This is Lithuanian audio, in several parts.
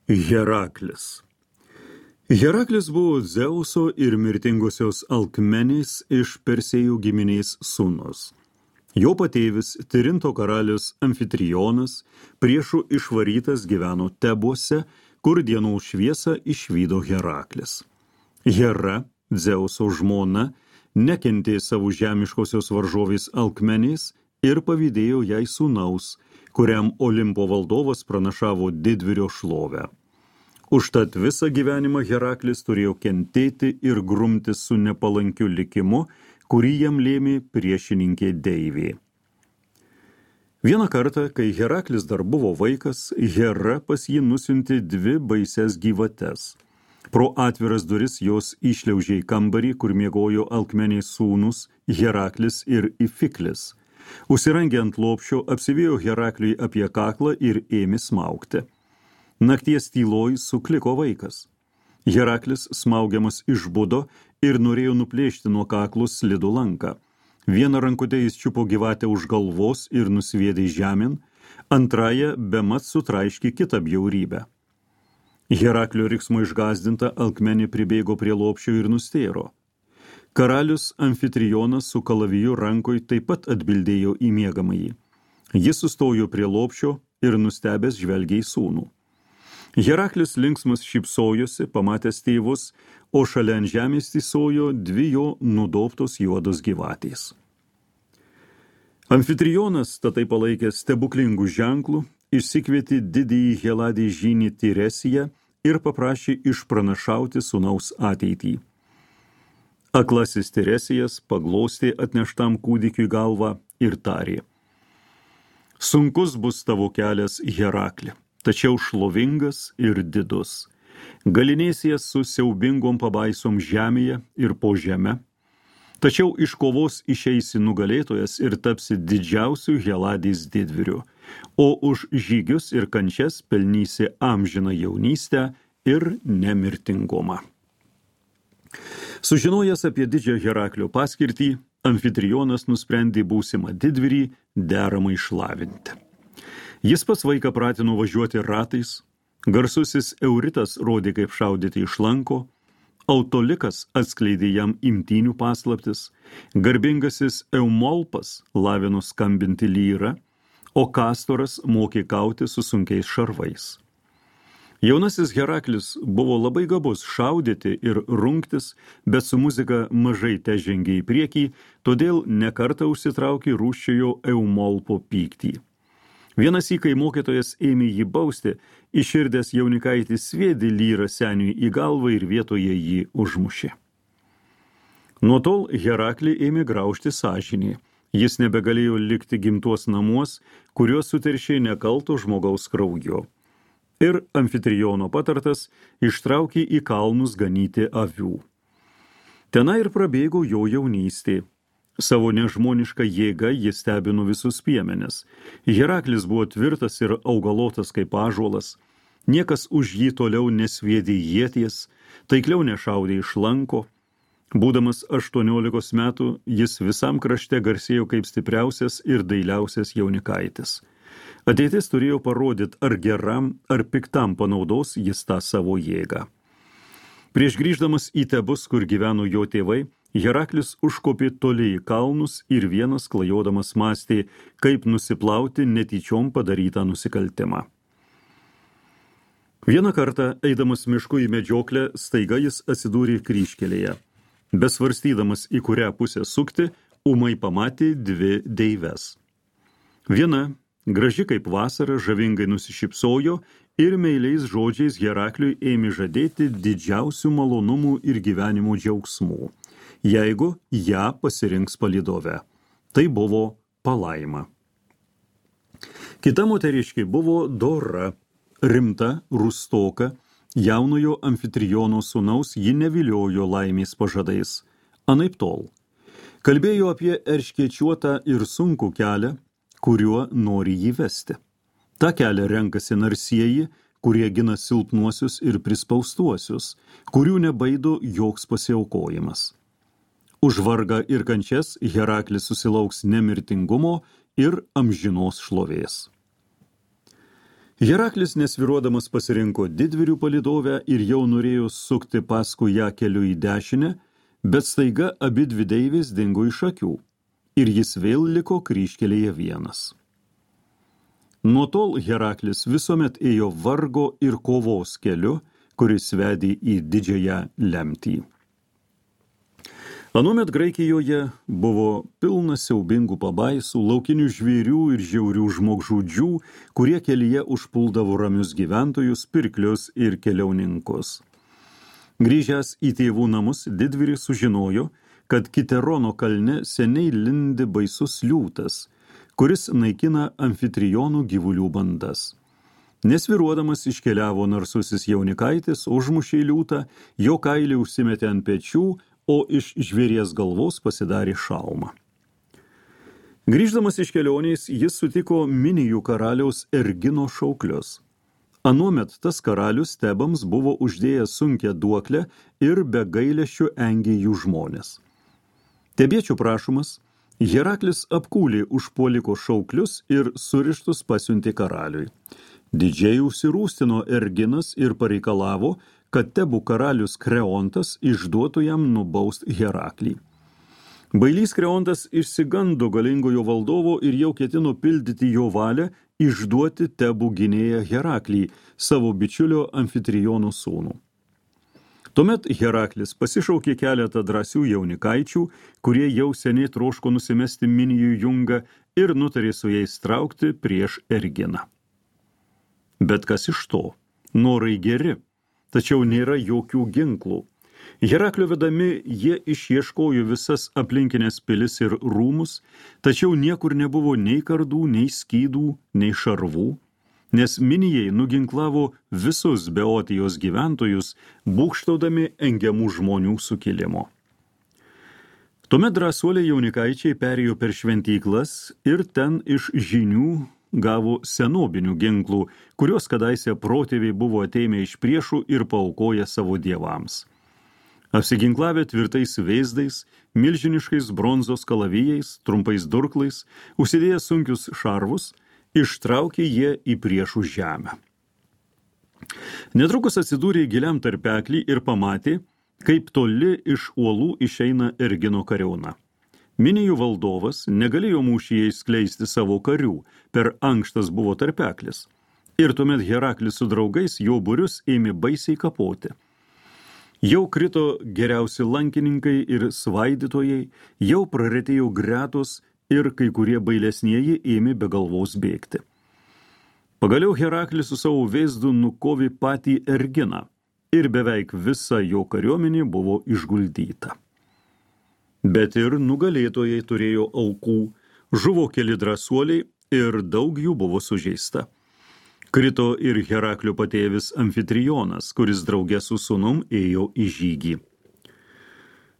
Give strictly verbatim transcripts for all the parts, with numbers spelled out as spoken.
Heraklis. Heraklis buvo Dzeuso ir mirtingosios Alkmenės iš Persėjų giminės sūnus. Jo patėvis Tirinto karalius Amfitrijonas priešų išvarytas gyveno Tebuose, kur dienos šviesą išvydo Heraklis. Hera, Dzeuso žmona, nekentė savo žemiškosios varžovės Alkmenės ir pavydėjo jai sūnaus, kuriam Olimpo valdovas pranašavo didvyrio šlovę. Užtat visą gyvenimą Heraklis turėjo kentėti ir grumtis su nepalankiu likimu, kurį jam lėmė priešininkė Deivė. Vieną kartą, kai Heraklis dar buvo vaikas, Hera pas jį nusiuntė dvi baises gyvates. Pro atviras duris jos išliaužė į kambarį, kur miegojo Alkmenės sūnus Heraklis ir Ifiklis. Užsirangė ant lopšio, apsivėjo Herakliui apie kaklą ir ėmė smaugti. Nakties tyloj sukliko vaikas. Heraklis smaugiamas išbudo ir norėjo nuplėšti nuo kaklo slidų lanką. Vieną rankutę jis čiupo gyvatę už galvos ir nusviedė žemėn, antrąją bemat sutraiškė kitą bjaurybę. Heraklio riksmo išgąsdinta Alkmenė pribėgo prie lopšio ir nustėro. Karalius Amfitrijonas su kalaviju rankoj taip pat atbildėjo į miegamąjį. Jis sustojo prie lopšio ir nustebęs žvelgė į sūnų. Heraklis linksmas šypsojosi, pamatęs tėvus, o šalia ant žemės tysojo dvi jo nudobtos juodos gyvatės. Amfitrijonas, tatai palaikęs stebuklingų ženklų, išsikvietė didįjį Heladį žynį Tiresiją ir paprašė išpranašauti sūnaus ateitį. Aklasis Tiresijas paglostė atneštam kūdikiui galvą ir tarė: Sunkus bus tavo kelias, Herakli, tačiau šlovingas ir didus. Galinėsies su siaubingom pabaisom žemėje ir po žeme, tačiau iš kovos išeisi nugalėtojas ir tapsi didžiausiu Heladės didvyriu, o už žygius ir kančias pelnysi amžiną jaunystę ir nemirtingumą. Sužinojęs apie didžią Heraklio paskirtį, Amfitrijonas nusprendė būsimą didvyrį deramai šlavinti. Jis pats vaiką pratino važiuoti ratais, garsusis Euritas rodė, kaip šaudyti iš lanko, Autolikas atskleidė jam imtynių paslaptis, garbingasis Eumolpas lavino skambinti lyrą, o Kastoras mokė kauti su sunkiais šarvais. Jaunasis Heraklis buvo labai gabus šaudyti ir rungtis, bet su muzika mažai težengė į priekį, todėl nekartą užsitraukė rūsčiojo Eumolpo pyktį. Vienas įkai mokytojas ėmė jį bausti, iširdęs jaunikaitis sviedė lyrą seniui į galvą ir vietoje jį užmušė. Nuo tol Heraklį ėmė graužti sąžinė. Jis nebegalėjo likti gimtuos namuos, kuriuos suteršė nekalto žmogaus kraujo. Ir Amfitrijono patartas ištraukė į kalnus ganyti avių. Tenai ir prabėgo jo jaunystė. Savo nežmonišką jėgą jis stebino visus piemenis. Heraklis buvo tvirtas ir augalotas kaip ąžuolas. Niekas už jį toliau nesviedė ieties, taikliau nešaudė iš lanko. Būdamas aštuoniolikos metų, jis visam krašte garsėjo kaip stipriausias ir dailiausias jaunikaitis. Ateitis turėjo parodyti, ar geram, ar piktam panaudos jis tą savo jėgą. Prieš grįždamas į Tebus, kur gyveno jo tėvai, Heraklis užkopė toli į kalnus ir vienas klajodamas mąstė, kaip nusiplauti netyčiom padarytą nusikaltimą. Vieną kartą, eidamas mišku į medžioklę, staiga jis atsidūrė kryžkelėje. Besvarstydamas, į kurią pusę sukti, ūmai pamatė dvi deives. Viena, graži kaip vasara, žavingai nusišypsojo ir meiliais žodžiais Herakliui ėmė žadėti didžiausių malonumų ir gyvenimo džiaugsmų, jeigu ją pasirinks palydove. Tai buvo Palaima. Kita moteriškė buvo dora, rimta, rūstoka, jaunojo Amfitrijono sūnaus ji neviliojo laimės pažadais. Anaiptol. Kalbėjo apie erškėčiuotą ir sunkų kelią, kuriuo nori jį vesti. Ta kelią renkasi narsieji, kurie gina silpnuosius ir prispaustuosius, kurių nebaido joks pasiaukojimas. Už vargą ir kančias Heraklis susilauks nemirtingumo ir amžinos šlovės. Heraklis nesviruodamas pasirinko didvyrių palydovę ir jau norėjo sukti paskui ją keliu į dešinę, bet staiga abi dvi deivės dingo iš akių ir jis vėl liko kryžkelėje vienas. Nuo tol Heraklis visuomet ėjo vargo ir kovos keliu, kuris vedė į didžiąją lemtį. Anuomet Graikijoje buvo pilna siaubingų pabaisų, laukinių žvėrių ir žiaurių žmogžudžių, kurie kelyje užpuldavo ramius gyventojus, pirklius ir keliauninkus. Grįžęs į tėvų namus, didvyris sužinojo, kad Kiterono kalne seniai lindi baisus liūtas, kuris naikina amfitrijonų gyvulių bandas. Nesviruodamas iškeliavo narsusis jaunikaitis, užmušė liūtą, jo kailį užsimetė ant pečių, o iš žvėries galvos pasidarė šalmą. Grįždamas iš kelionės, jis sutiko Minijų karaliaus Ergino šauklius. Anuomet tas karalius Tebams buvo uždėjęs sunkią duoklę ir be gailesčio engė jų žmonės. Tebiečių prašomas, Heraklis apkūlė užpuoliko šauklius ir surištus pasiuntė karaliui. Didžiai užsirūstino Erginas ir pareikalavo, kad Tebų karalius Kreontas išduotų jam nubaust Heraklį. Bailys Kreontas išsigando galingojo valdovo ir jau ketino pildyti jo valią išduoti Tebų gynėją Heraklį, savo bičiulio Amfitrijono sūnų. Tuomet Heraklis pasišaukė keletą drąsių jaunikaičių, kurie jau seniai troško nusimesti Minijų jungą ir nutarė su jais traukti prieš Erginą. Bet kas iš to? Norai geri, tačiau nėra jokių ginklų. Heraklio vedami jie išieškojo visas aplinkinės pilis ir rūmus, tačiau niekur nebuvo nei kardų, nei skydų, nei šarvų, nes Minijai nuginklavo visus Beotijos gyventojus, būgštaudami engiamų žmonių sukilimo. Tuomet drąsuoliai jaunikaičiai perėjo per šventyklas ir ten iš žinių gavo senobinių ginklų, kuriuos kadaise protėviai buvo ateimę iš priešų ir paaukoję savo dievams. Apsiginklavę tvirtais vėzdais, milžiniškais bronzos kalavijais, trumpais durklais, užsidėję sunkius šarvus, ištraukė jie į priešų žemę. Netrukus atsidūrė giliam tarpeklį ir pamatė, kaip toli iš uolų išeina Ergino kariauna. Minijų valdovas negalėjo mūšyje skleisti savo karių, per ankštas buvo tarpeklis. Ir tuomet Heraklis su draugais jo būrius ėmė baisiai kapoti. Jau krito geriausi lankininkai ir svaidytojai, jau praretėjo gretos ir kai kurie bailesnieji ėmė be galvos bėgti. Pagaliau Heraklis su savo vėzdu nukovė patį Erginą ir beveik visa jo kariuomenė buvo išguldyta. Bet ir nugalėtojai turėjo aukų, žuvo keli drąsuoliai ir daug jų buvo sužeista. Krito ir Heraklio patėvis Amfitrijonas, kuris drauge su sūnum ėjo į žygį.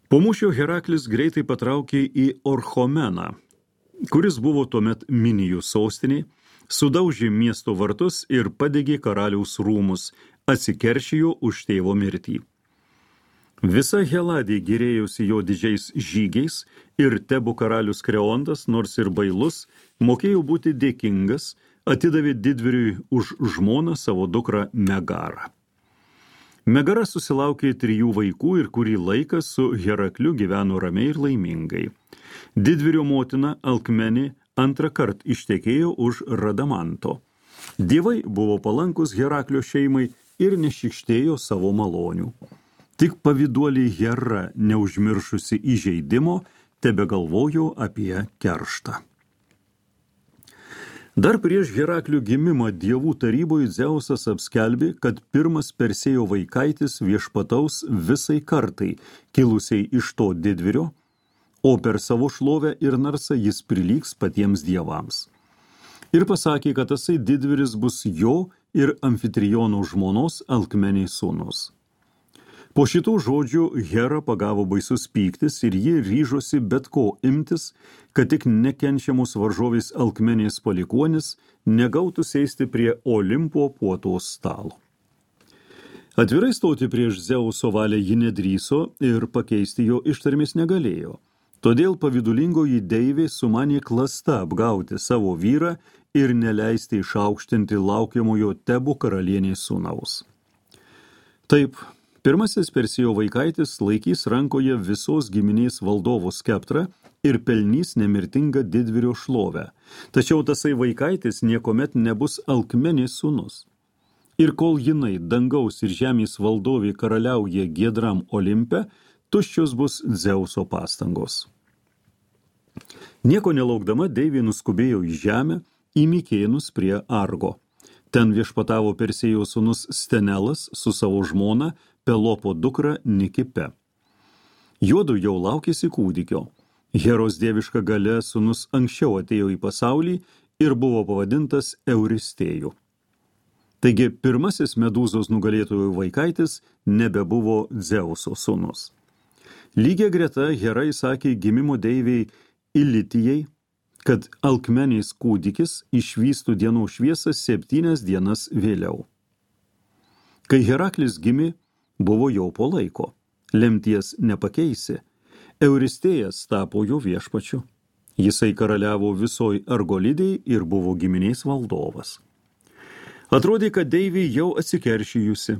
Po mūšio Heraklis greitai patraukė į Orchomeną, kuris buvo tuomet Minijų sostinė, sudaužė miesto vartus ir padegė karaliaus rūmus, atsikeršijo už tėvo mirtį. Visa Heladė gyrėjosi jo didžiais žygiais ir Tebų karalius Kreontas, nors ir bailus, mokėjo būti dėkingas, atidavė didvyriui už žmoną savo dukrą Megarą. Megara susilaukė trijų vaikų ir kurį laiką su Herakliu gyveno ramiai ir laimingai. Didvyrio motina Alkmenė antrą kartą ištekėjo už Radamanto. Dievai buvo palankus Heraklio šeimai ir nešikštėjo savo malonių. Tik pavyduolį Hera, neužmiršusi įžeidimo, tebegalvojo apie kerštą. Dar prieš Heraklio gimimą dievų taryboje Dzeusas apskelbė, kad pirmas Persėjo vaikaitis viešpataus visai kartai, kilusiai iš to didvyrio, o per savo šlovę ir narsą jis prilygs patiems dievams. Ir pasakė, kad tasai didvyris bus jo ir Amfitrijono žmonos Alkmenės sūnus. Po šitų žodžių Hera pagavo baisus pyktis ir ji ryžosi bet ko imtis, kad tik nekenčiamos varžovės Alkmenės palikuonis negautų sėsti prie Olimpo puotos stalo. Atvirai stoti prieš Dzeuso valią ji nedrįso ir pakeisti jo ištarmės negalėjo. Todėl pavydulingoji deivė sumanė klasta apgauti savo vyrą ir neleisti išaukštinti laukiamojo Tebų karalienės sūnaus. Taip, pirmasis Persėjo vaikaitis laikys rankoje visos giminės valdovo skeptrą ir pelnys nemirtingą didvyrio šlovę, tačiau tasai vaikaitis niekuomet nebus Alkmenės sūnus. Ir kol jinai dangaus ir žemės valdovė karaliauja giedram Olimpe, tuščios bus Dzeuso pastangos. Nieko nelaukdama Deivė nuskubėjo į žemę, į Mikėnus prie Argo. Ten viešpatavo Persėjo sūnus Stenelas su savo žmona Pelopo dukra Nikipe. Juodu jau laukėsi kūdikio. Heros dieviška galia sūnus anksčiau atėjo į pasaulį ir buvo pavadintas Euristėju. Taigi pirmasis Medūzos nugalėtojų vaikaitis nebebuvo Dzeuso sūnus. Lygia greta Hera įsakė gimimo deivei Ilitijai, kad Alkmenės kūdikis išvystų dienos šviesą septynias dienas vėliau. Kai Heraklis gimė, buvo jau po laiko. Lemties nepakeisi. Euristėjas tapo jo viešpačiu. Jisai karaliavo visoj Argolidėj ir buvo giminės valdovas. Atrodė, kad Deivė jau atsikeršijusi.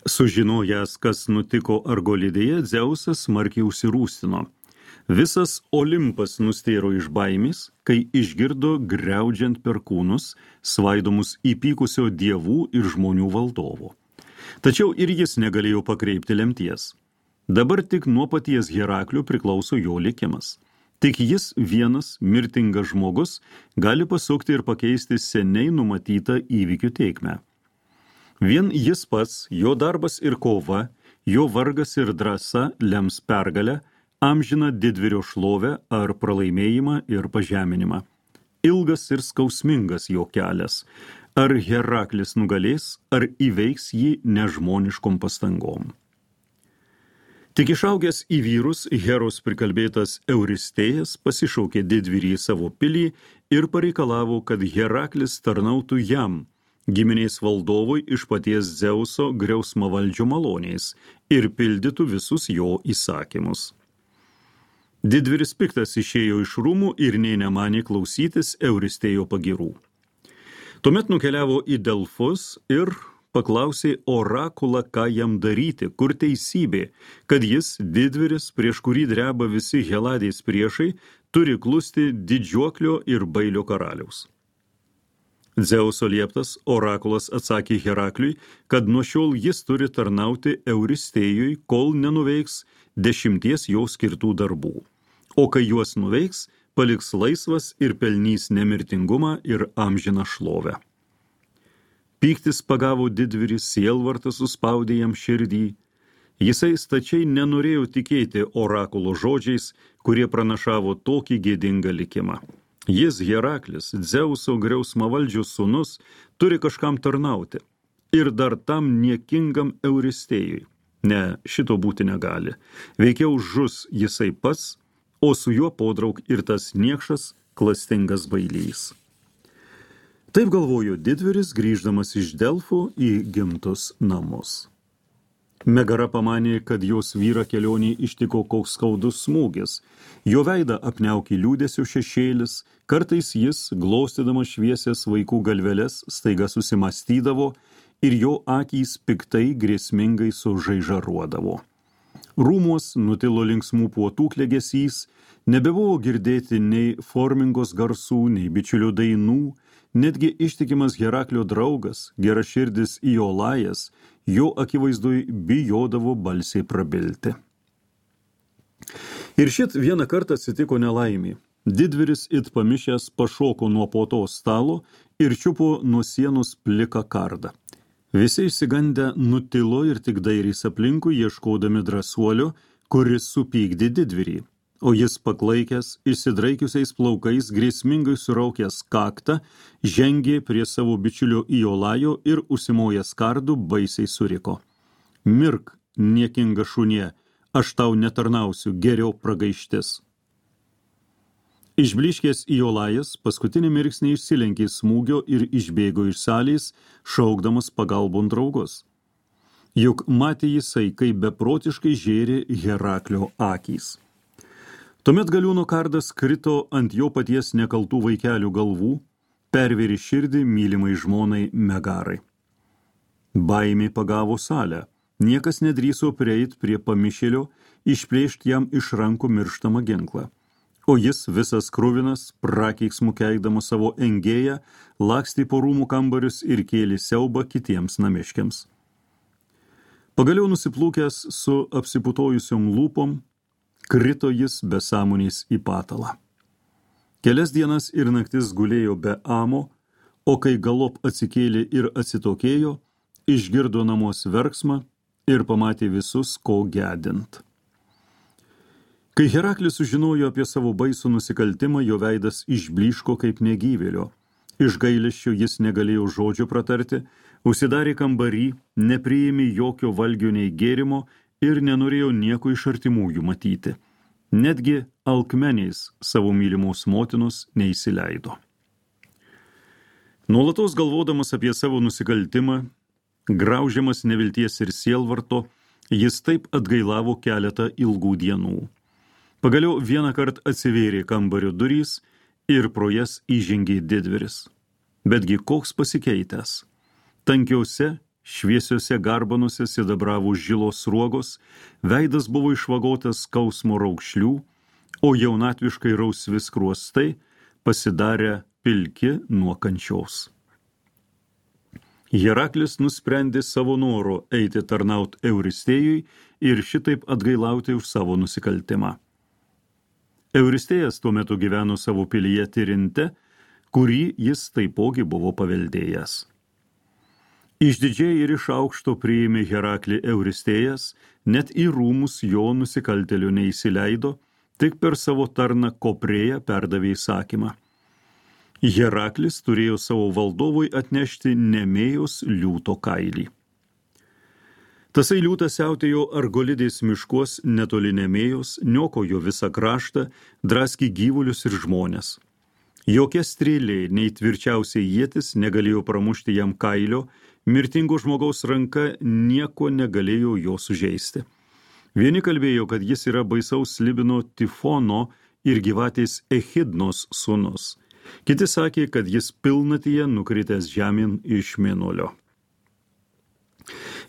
Sužinojęs, kas nutiko Argolidėje, Dzeusas smarkiai užsirūstino. Visas Olimpas nustėro iš baimės, kai išgirdo griaudžiant perkūnus, svaidomus įpykusio dievų ir žmonių valdovo. Tačiau ir jis negalėjo pakreipti lemties. Dabar tik nuo paties Heraklio priklauso jo likimas. Tik jis vienas, mirtingas žmogus, gali pasukti ir pakeisti seniai numatytą įvykių teikmę. Vien jis pats, jo darbas ir kova, jo vargas ir drąsa lems pergalę, amžiną didvyrio šlovę ar pralaimėjimą ir pažeminimą. Ilgas ir skausmingas jo kelias. Ar Heraklis nugalės, ar įveiks jį nežmoniškom pastangom. Tik išaugęs į vyrus, Heros prikalbėtas Euristėjas pasišaukė didvyrį savo pilį ir pareikalavo, kad Heraklis tarnautų jam, giminės valdovui iš paties Dzeuso griausmavaldžio maloniais ir pildytų visus jo įsakymus. Didvyris piktas išėjo iš rūmų ir nė nemanė klausytis Euristėjo pagirų. Tuomet nukeliavo į Delfus ir paklausė orakulą, ką jam daryti, kur teisybė, kad jis, didvyris, prieš kurį dreba visi Heladės priešai, turi klusti didžiuoklio ir bailio karaliaus. Dzeuso lieptas orakulas atsakė Herakliui, kad nuo šiol jis turi tarnauti Euristėjui, kol nenuveiks dešimties jo skirtų darbų, o kai juos nuveiks, paliks laisvas ir pelnys nemirtingumą ir amžiną šlovę. Pyktis pagavo didvyrį, sielvartas suspaudė jam širdį. Jisai stačiai nenorėjo tikėti orakulo žodžiais, kurie pranašavo tokį gėdingą likimą. Jis, Heraklis, Dzeuso griausmavaldžio sūnus, turi kažkam tarnauti. Ir dar tam niekingam Euristėjui. Ne, šito būti negali. Veikiau žus jisai pats, o su juo podrauk ir tas niekšas klastingas bailys. Taip galvojo didvyris, grįždamas iš Delfų į gimtus namus. Megara pamanė, kad jos vyrą kelionį ištiko koks skaudus smūgis. Jo veidą apniaukė liūdesio šešėlis, kartais jis, glostydamas šviesias vaikų galveles, staiga susimastydavo ir jo akys piktai grėsmingai sužaižaruodavo. Rūmuos nutilo linksmų puotų klegesys, nebebuvo girdėti nei formingos garsų, nei bičiulių dainų. Netgi ištikimas Heraklio draugas, geraširdis Iolajas, jo akivaizdui bijodavo balsiai prabilti. Ir šit vieną kartą atsitiko nelaimė. Didvyris it pamišęs pašoko nuo puotos stalo ir čiupo nuo sienos pliką kardą. Visi išsigandę nutilo ir tik dairys aplinkui, ieškodami drąsuolio, kuris supykdė didvyrį. O jis paklaikęs, išsidraikiusiais plaukais, grėsmingai suraukęs kaktą, žengė prie savo bičiulio Iolajo ir užsimojęs kardu baisiai suriko. Mirk, niekinga šunie, aš tau netarnausiu, geriau pragaištis. Išbliškęs Iolajas paskutinį mirksnį išsilenkė smūgio ir išbėgo iš salės, šaukdamas pagalbon draugus. Juk matė jisai, kaip beprotiškai žėrė Heraklio akys. Tuomet galiūno kardas krito ant jo paties nekaltų vaikelių galvų, pervėrė širdį mylimai žmonai Megarai. Baimė pagavo salę, niekas nedrįso prieit prie pamišėlio, išplėšti jam iš rankų mirštamą ginklą. O jis visas kruvinas, prakeiksmu keikdamas savo engėją, lakstė po rūmų kambarius ir kėlė siaubą kitiems namiškiams. Pagaliau nusiplūkęs su apsiputojusiom lūpom, krito jis be sąmonės į patalą. Kelias dienas ir naktis gulėjo be amo, o kai galop atsikėlė ir atsitokėjo, išgirdo namuos verksmą ir pamatė visus, ko gedint. Kai Heraklis sužinojo apie savo baisų nusikaltimą, jo veidas išblyško kaip negyvėlio. Iš gailesčio jis negalėjo žodžio pratarti, užsidarė kambarį, nepriėmė jokio valgio nei gėrimo ir nenorėjo nieko iš artimųjų matyti. Netgi alkmeniais savo mylimos motinos neįsileido. Nuolatos galvodamas apie savo nusikaltimą, graužiamas nevilties ir sielvarto, jis taip atgailavo keletą ilgų dienų. Pagaliau vieną kartą atsivėrė kambario durys ir pro jas įžengė didvyris. Betgi koks pasikeitęs. Tankiause, šviesiuose garbanuose sidabravo žilos sruogos, veidas buvo išvagotas skausmo raukšlių, o jaunatviškai rausvi skruostai pasidarė pilki nuo kančios. Heraklis nusprendė savo noro eiti tarnaut Euristėjui ir šitaip atgailauti už savo nusikaltimą. Euristėjas tuo metu gyveno savo pilyje Tirinte, kurį jis taipogi buvo paveldėjęs. Išdidžiai ir iš aukšto priėmė Heraklį Euristėjas, net į rūmus jo nusikaltėlių neįsileido, tik per savo tarną Koprėją perdavė įsakymą. Heraklis turėjo savo valdovui atnešti Nemėjos liūto kailį. Tasai liūtas siautėjo Argolidės miškuos netoli Nemėjos, niokojo visą kraštą, draskė gyvulius ir žmones. Jokia strėlė, nei tvirčiausiai ietis negalėjo pramušti jam kailio, mirtingo žmogaus ranka nieko negalėjo jo sužeisti. Vieni kalbėjo, kad jis yra baisaus Libino Tifono ir gyvatės Echidnos sūnus. Kiti sakė, kad jis pilnatyje nukritęs žemyn iš mėnulio.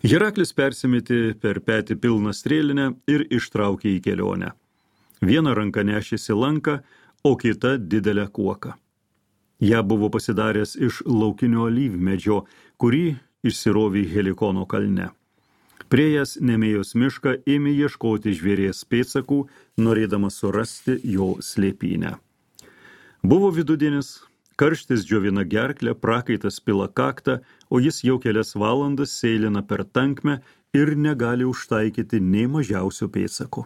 Heraklis persimetė per petį pilną strėlinę ir ištraukė į kelionę. Viena ranka nešėsi lanką, o kita didelę kuoką. Ja buvo pasidaręs iš laukinio alyvmedžio, kurį išsirovė Helikono kalne. Priėjęs Nemėjos mišką ėmė ieškoti žvėries pėdsakų, norėdamas surasti jo slėpynę. Buvo vidudienis, karštis džiovina gerklę, prakaitas pila kaktą, o jis jau kelias valandas seilina per tankmę ir negali užtaikyti nei mažiausio pėdsako.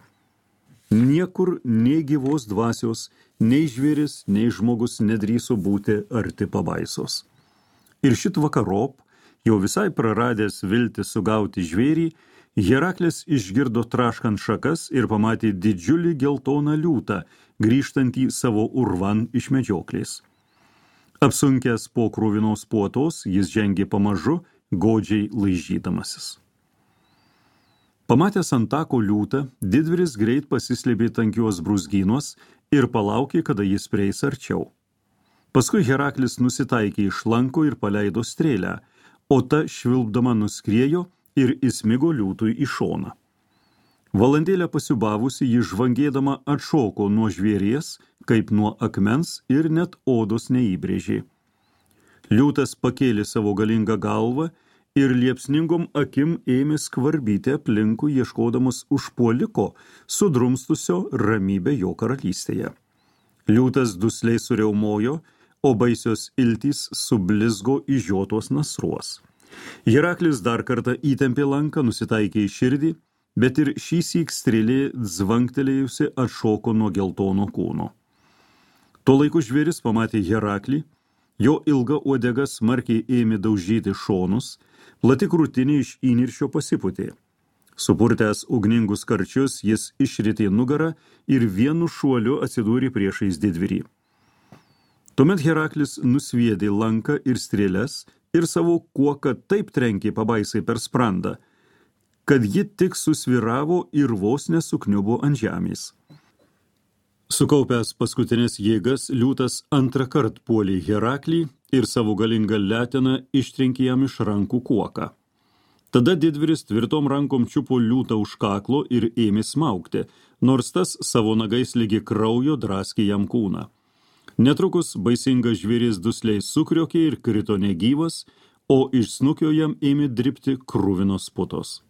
Niekur nei gyvos dvasios, nei žvėris, nei žmogus nedrįso būti arti pabaisos. Ir šit vakarop, jau visai praradęs viltį sugauti žvėrį, Heraklis išgirdo traškant šakas ir pamatė didžiulį geltoną liūtą, grįžtantį savo urvan iš medžioklės. Apsunkęs po kruvinos puotos, jis žengė pamažu, godžiai laižydamasis. Pamatęs ant tako liūtą, didvyris greit pasislėpė tankios brūzgynuos ir palaukė, kada jis prieis arčiau. Paskui Heraklis nusitaikė iš lanko ir paleido strėlę, o ta švilpdama nuskriejo ir įsmigo liūtui į šoną. Valandėlę pasiubavusi, ji žvangėdama atšoko nuo žvėries, kaip nuo akmens ir net odos neįbrėžė. Liūtas pakėlė savo galingą galvą ir liepsningom akim ėmė skvarbyti aplinkų, ieškodamas užpuoliko, sudrumstusio ramybę jo karalystėje. Liūtas dusliai suriaumojo, o baisios iltys sublizgo išžiotos nasruos. Heraklis dar kartą įtempė lanką, nusitaikė į širdį, bet ir šįsyk strėlė zvangtelėjusi atšoko nuo geltono kūno. Tuo laiku žvėris pamatė Heraklį, jo ilga uodega smarkiai ėmė daužyti šonus, plati krūtinė iš įniršio pasipūtė. Supurtęs ugningus karčius, jis išritė nugarą ir vienu šuoliu atsidūrė priešais didvyrį. Tuomet Heraklis nusviedė lanką ir strėles ir savo kuoką taip trenkė pabaisai per sprandą, kad ji tik susviravo ir vos nesukniubo ant žemės. Sukaupęs paskutinės jėgas, liūtas antrą kartą puolė Heraklį ir savo galingą leteną ištrenkė jam iš rankų kuoką. Tada didvyris tvirtom rankom čiupo liūtą už kaklo ir ėmė smaugti, nors tas savo nagais lygi kraujo draskė jam kūną. Netrukus baisingas žvėris dusliai sukriokė ir krito negyvas, o iš snukio jam ėmė dribti kruvinos putos.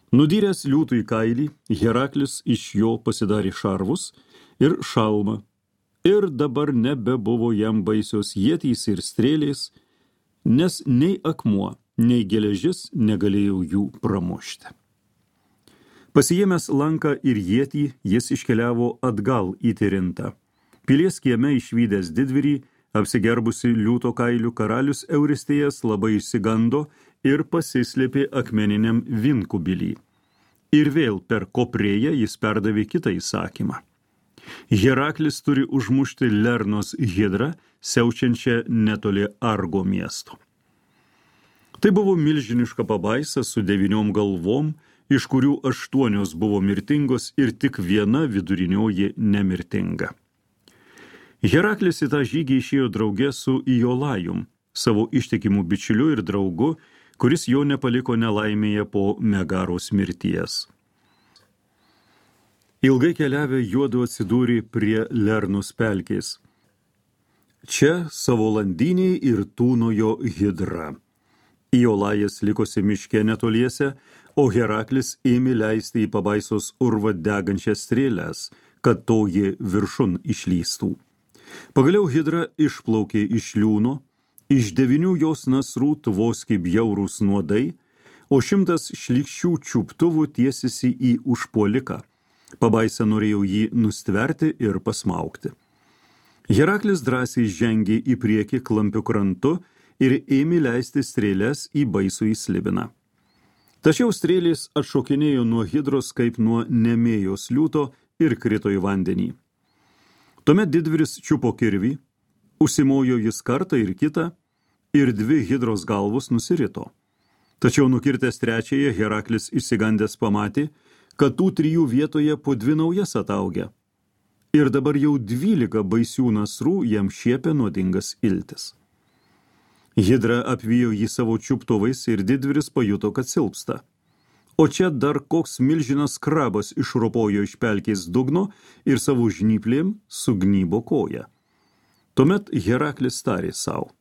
Nudyręs liūtui kailį, Heraklis iš jo pasidarė šarvus ir šalmą, ir dabar nebebuvo jam baisios ietys ir strėlės, nes nei akmuo, nei geležis negalėjo jų pramušti. Pasiėmęs lanką ir ietį, jis iškeliavo atgal į Tirintą. Pilies kieme išvydęs didvyrį, apsigerbusi liūto kailių, karalius Euristėjas labai išsigando ir pasislėpė akmeniniam vinkubilį. Ir vėl per koprėją jis perdavė kitą įsakymą. Heraklis turi užmušti Lernos hidrą, siaučiančią netoli Argo miesto. Tai buvo milžiniška pabaisa su devyniom galvom, iš kurių aštuonios buvo mirtingos ir tik viena vidurinioji nemirtinga. Heraklis į tą žygį išėjo drauge su Iolajum, savo ištikimų bičiuliu ir draugu, kuris jo nepaliko nelaimėje po Megaros mirties. Ilgai keliavę juodu atsidūrė prie Lernos pelkės. Čia savo landiniai ir tūnojo hidra. Iolajas likosi miške netoliese, o Heraklis ėmė leisti į pabaisos urvą degančias strėles, kad toji viršun išlystų. Pagaliau hidra išplaukė iš liūno, iš devynių jos nasrų tvoskė bjaurūs nuodai, o šimtas šlykščių čiuptuvų tiesėsi į užpuoliką. Pabaisa norėjo jį nustverti ir pasmaugti. Heraklis drąsiai žengė į priekį klampiu krantu ir ėmė leisti strėles į baisų įslibiną. Tačiau strėlės atšokinėjo nuo hidros kaip nuo nemėjos liūto ir krito į vandenį. Tuomet didvyris čiupo kirvį, užsimojo jis kartą ir kitą, ir dvi hidros galvos nusirito. Tačiau nukirtęs trečiąją, Heraklis išsigandęs pamatė, kad tų trijų vietoje po dvi naujas ataugia. Ir dabar jau dvylika baisių nasrų jam šiepė nuodingas iltis. Hidra apvijo jį savo čiuptuvais ir didvyris pajuto, kad silpsta. O čia dar koks milžinas krabas išropojo iš pelkės dugno ir savo žnyplėm sugnybo koją. Tuomet Heraklis tarė savo: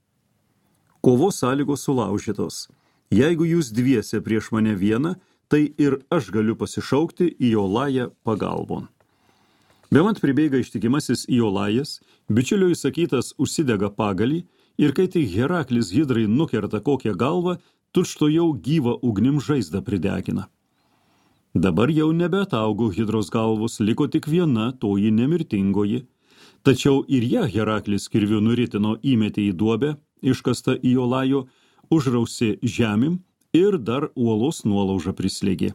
kovos sąlygos sulaužytos. Jeigu jūs dviese prieš mane vieną, tai ir aš galiu pasišaukti Iolają pagalbon. Bemant pribėga ištikimasis Iolajas, bičiulio įsakytas užsidega pagalį, ir kai tik Heraklis hidrai nukerta kokią galvą, tučtuojau gyvą ugnim žaizdą pridegina. Dabar jau nebeataugo hidros galvos, liko tik viena, toji nemirtingoji. Tačiau ir ją Heraklis kirviu nuritino įmetė į duobę, iškasta Iolajo, užrausė žemim ir dar uolos nuolaužą prislėgė.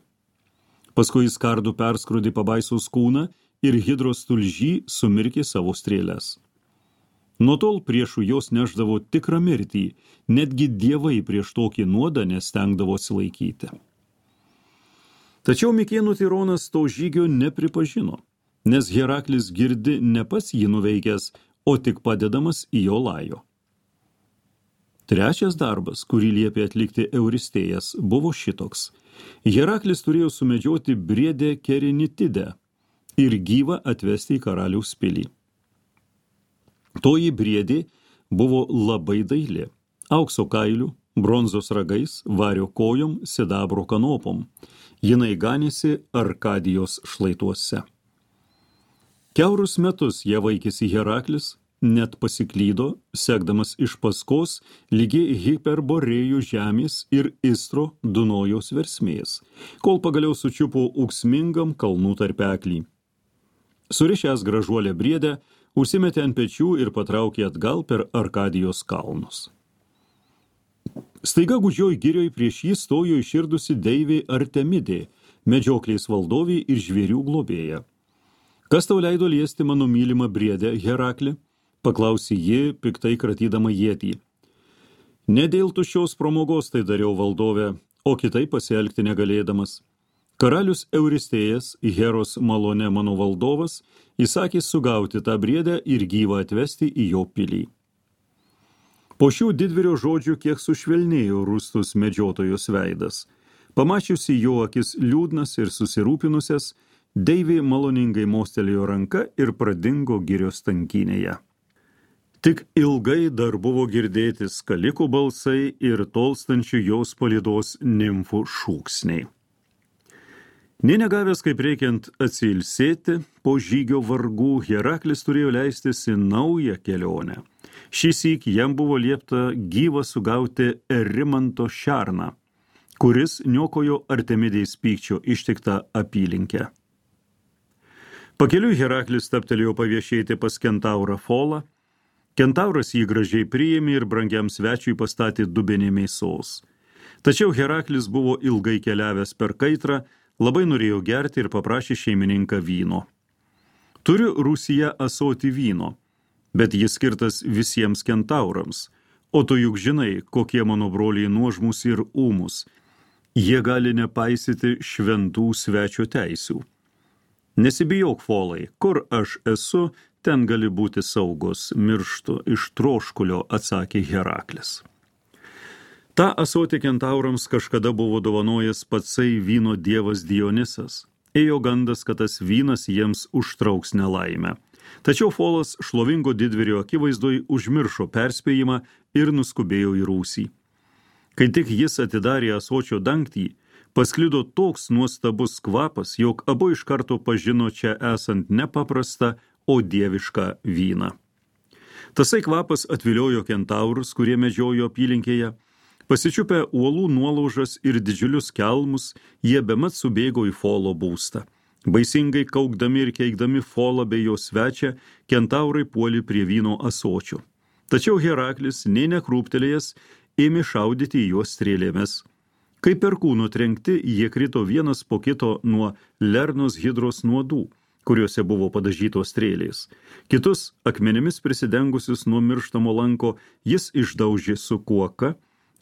Paskui jis kardu perskrudė pabaisos kūną ir hidros tulžy sumirkė savo strėles. Nuo tol priešų jos neždavo tikrą mirtį, netgi dievai prieš tokį nuodą nestengdavo atsilaikyti. Tačiau Mikėnų tironas to žygio nepripažino, nes Heraklis girdi ne pats jį nuveikęs, o tik padedamas Iolajo. Trečias darbas, kurį liepė atlikti Euristėjas, buvo šitoks. Heraklis turėjo sumedžioti briedę Kerinitidę ir gyvą atvesti į karaliaus pilį. Toji briedė buvo labai daili, aukso kailių, bronzos ragais, vario kojom, sidabro kanopom. Jinai ganėsi Arkadijos šlaituose. Kiaurus metus ją vaikėsi Heraklis, net pasiklydo, sekdamas iš paskos lygiai Hiperborėjų žemės ir Istro Dunojaus versmės, kol pagaliau sučiupo ūksmingam kalnų tarpeklį. Surišęs gražuolę briedę, užsimetė ant pečių ir patraukė atgal per Arkadijos kalnus. Staiga gūdžioj girioj prieš jį stojo iširdusi deivė Artemidė, medžioklės valdovė ir žvėrių globėja. Kas tau leido liesti mano mylimą briedę, Herakli? Paklausė ji, piktai kratydama ietį. Ne dėl tuščios pramogos tai dariau, valdove, o kitaip pasielgti negalėdamas. Karalius Euristėjas, Heros malone mano valdovas, įsakė sugauti tą briedę ir gyvą atvesti į jo pilį. Po šių didvyrio žodžių kiek sušvelnėjo rūstus medžiotojos veidas. Pamačiusi jo akis liūdnas ir susirūpinusias, Deivė maloningai mostelėjo ranka ir pradingo girios tankynėje. Tik ilgai dar buvo girdėti skalikų balsai ir tolstančių jos palydos nimfų šūksniai. Nė negavęs kaip reikiant atsilsėti, po žygio vargų Heraklis turėjo leistis į naują kelionę. Šįsyk jam buvo liepta gyvą sugauti Erimanto šerną, kuris niokojo Artemidės pykčio ištiktą apylinkę. Pakeliui Heraklis stabtelėjo paviešėti pas kentaurą Folą. Kentauras jį gražiai priėmė ir brangiam svečiui pastatė dubenį mėsos. Tačiau Heraklis buvo ilgai keliavęs per kaitrą, labai norėjo gerti ir paprašė šeimininką vyno. Turiu rūsyje ąsotį vyno, bet jis skirtas visiems kentaurams, o tu juk žinai, kokie mano broliai nuožmus ir ūmus. Jie gali nepaisyti šventų svečio teisių. Nesibijok, Folai, kur aš esu, ten gali būti saugus, mirštu iš troškulio, atsakė Heraklis. Ta ąsotį kentaurams kažkada buvo dovanojęs patsai vyno dievas Dionisas. Ėjo gandas, kad tas vynas jiems užtrauks nelaimę. Tačiau Folas šlovingo didvyrio akivaizdoj užmiršo perspėjimą ir nuskubėjo į rūsį. Kai tik jis atidarė ąsočio dangtį, pasklido toks nuostabus kvapas, jog abu iš karto pažino čia esant nepaprastą, o dievišką vyną. Tasai kvapas atviliojo kentaurus, kurie medžiojo apylinkėje. Pasičiupę uolų nuolaužas ir didžiulius kelmus, jie bemat subėgo į Folo būstą. Baisingai kaukdami ir keikdami Folą bei jo svečią, kentaurai puolė prie vyno ąsočio. Tačiau Heraklis, nė nekrūptelėjęs, ėmė šaudyti į juos strėlėmis. Kai perkūno trenkti, jie krito vienas po kito nuo Lernos hidros nuodų, kuriuose buvo padažytos strėlės. Kitus, akmenimis prisidengusius nuo mirštamo lanko, jis išdaužė su kuoka,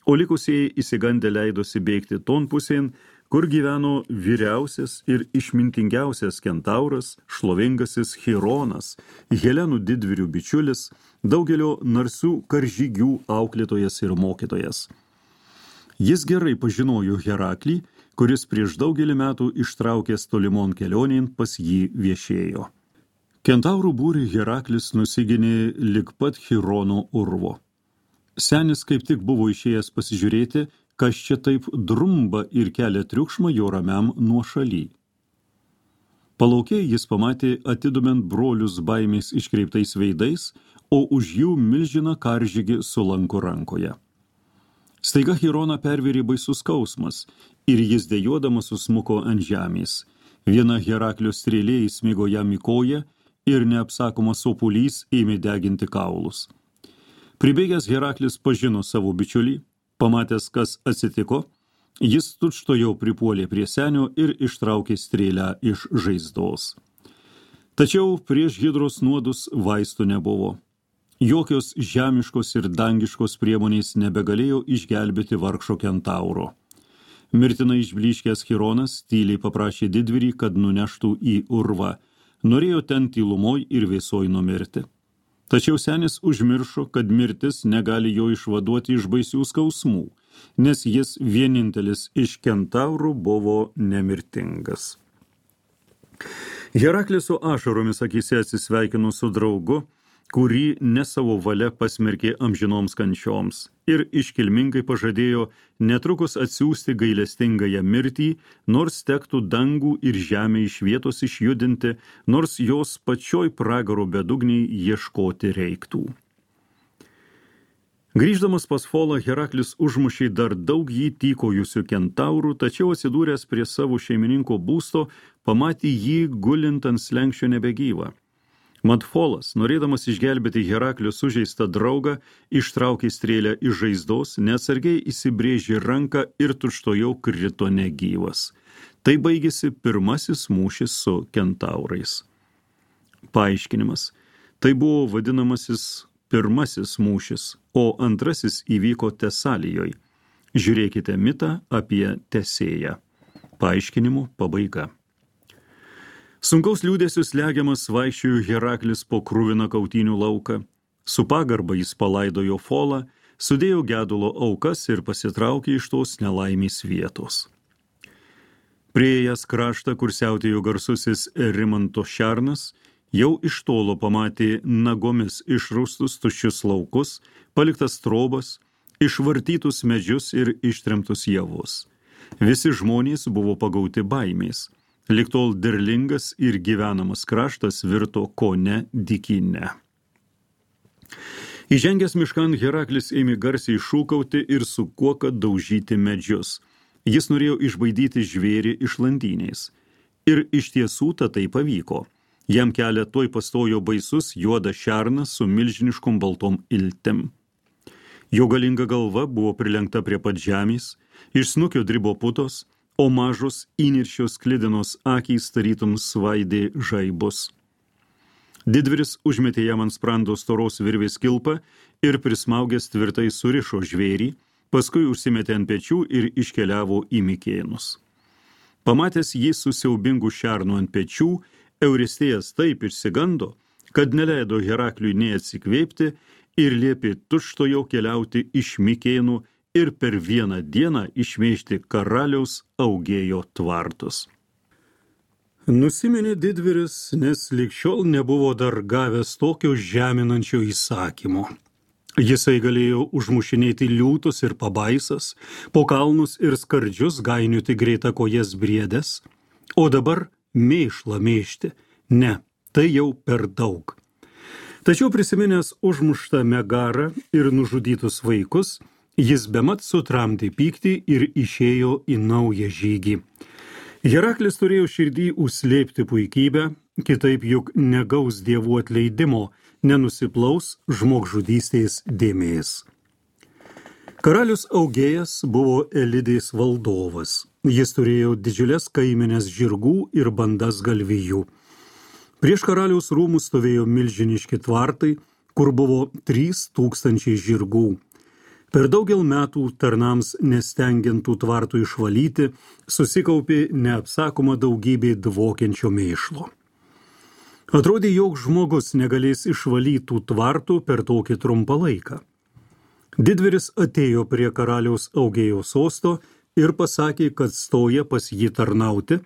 o likusieji įsigandę leidosi bėgti ton pusėn, kur gyveno vyriausias ir išmintingiausias kentauras, šlovingasis Chironas, Helenų didvyrių bičiulis, daugelio narsių karžygių auklėtojas ir mokytojas. Jis gerai pažinojo Heraklį, kuris prieš daugelį metų ištraukęs tolimon kelionėn pas jį viešėjo. Kentaurų būrį Heraklis nusiginė lig pat Chirono urvo. Senis kaip tik buvo išėjęs pasižiūrėti, kas čia taip drumba ir kelia triukšmą jo ramiam nuošaly. Palaukė jis pamatė atidumint brolius baimės iškreiptais veidais, o už jų milžiną karžygį su lanku rankoje. Staiga Chironą pervėrė baisus skausmas ir jis dejuodamas susmuko ant žemės. Viena Heraklio strėlė įsmigo jam į koją ir neapsakomas sopulys ėmė deginti kaulus. Pribėgęs Heraklis pažino savo bičiulį, pamatęs, kas atsitiko, jis tučtuojau pripuolė prie senio ir ištraukė strėlę iš žaizdos. Tačiau prieš hidros nuodus vaistų nebuvo. Jokios žemiškos ir dangiškos priemonės nebegalėjo išgelbėti vargšo kentauro. Mirtinai išblyškęs Chironas tyliai paprašė didvyrį, kad nuneštų į urvą. Norėjo ten tylumoj ir vėsoj numirti. Tačiau senis užmiršo, kad mirtis negali jo išvaduoti iš baisių skausmų, nes jis vienintelis iš kentaurų buvo nemirtingas. Heraklis su ašaromis akyse atsisveikino su draugu, kurį ne savo valia pasmerkė amžinoms kančioms ir iškilmingai pažadėjo netrukus atsiųsti gailestingąją mirtį, nors tektų dangų ir žemę iš vietos išjudinti, nors jos pačioj pragaro bedugniai ieškoti reiktų. Grįždamas pas Folą, Heraklis užmušė dar daug jį tykojusių kentaurų, tačiau atsidūręs prie savo šeimininko būsto, pamatė jį gulint ant slenksčio nebegyvą. Mat Folas, norėdamas išgelbėti Heraklio sužeistą draugą, ištraukė strėlę iš žaizdos, neatsargiai įsibrėžė ranką ir tučtuojau krito negyvas. Tai baigėsi pirmasis mūšis su kentaurais. Paaiškinimas. Tai buvo vadinamasis pirmasis mūšis, o antrasis įvyko Tesalijoj. Žiūrėkite mitą apie Tesėją. Paaiškinimo pabaiga. Sunkaus liūdėsiu slegiamas vaikščiojo Heraklis po kruviną kautynių lauką. Su pagarba jis palaidojo Folą, sudėjo gedulo aukas ir pasitraukė iš tos nelaimės vietos. Priėjęs kraštą, kur siautėjo garsusis Rimanto šernas, jau iš tolo pamatė nagomis išraustus tuščius laukus, paliktas trobas, išvartytus medžius ir ištremtus javus. Visi žmonės buvo pagauti baimės. Lig tol derlingas ir gyvenamas kraštas virto kone dykyne. Įžengęs miškan, Heraklis ėmė garsiai šūkauti ir su kuoka daužyti medžius. Jis norėjo išbaidyti žvėrį iš landynės. Ir iš tiesų tai pavyko. Jam kelią tuoj pastojo baisus juodas šernas su milžiniškom baltom iltim. Jo galinga galva buvo prilenkta prie pat žemės, iš snukio dribo putos, o mažos įniršios sklidinos akys tarytum svaidė žaibus. Didvyris užmetė jam ant sprando storos virvės kilpą ir prismaugęs tvirtai surišo žvėrį, paskui užsimetė ant pečių ir iškeliavo į Mikėnus. Pamatęs jį su siaubingu šernu ant pečių, Euristėjas taip išsigando, kad neleido Herakliui nei atsikvėpti ir liepė tučtuojau keliauti iš Mikėnų ir per vieną dieną išmėžti karaliaus Augėjo tvartus. Nusiminė didvyris, nes lig šiol nebuvo dar gavęs tokio žeminančio įsakymo. Jisai galėjo užmušinėti liūtus ir pabaisas, po kalnus ir skardžius gainiuti greitakojes briedes, o dabar mėšlą mėžti. Ne, tai jau per daug. Tačiau prisiminęs užmuštą Megarą ir nužudytus vaikus, jis bemat sutramdė pyktį ir išėjo į naują žygį. Heraklis turėjo širdį užslėpti puikybę, kitaip juk negaus dievų atleidimo, nenusiplaus žmogžudystės dėmės. Karalius Augėjas buvo Elidės valdovas. Jis turėjo didžiulės kaimenės žirgų ir bandas galvijų. Prieš karaliaus rūmus stovėjo milžiniški tvartai, kur buvo trys tūkstančiai žirgų. Per daugel metų tarnams nestengiantų tvartų išvalyti, susikaupė neapsakoma daugybė dvokiančio mėšlo. Atrodė, jog žmogus negalės išvalytų tvartų per tokį trumpą laiką. Didvyris atėjo prie karaliaus Augėjo sosto ir pasakė, kad stoja pas jį tarnauti,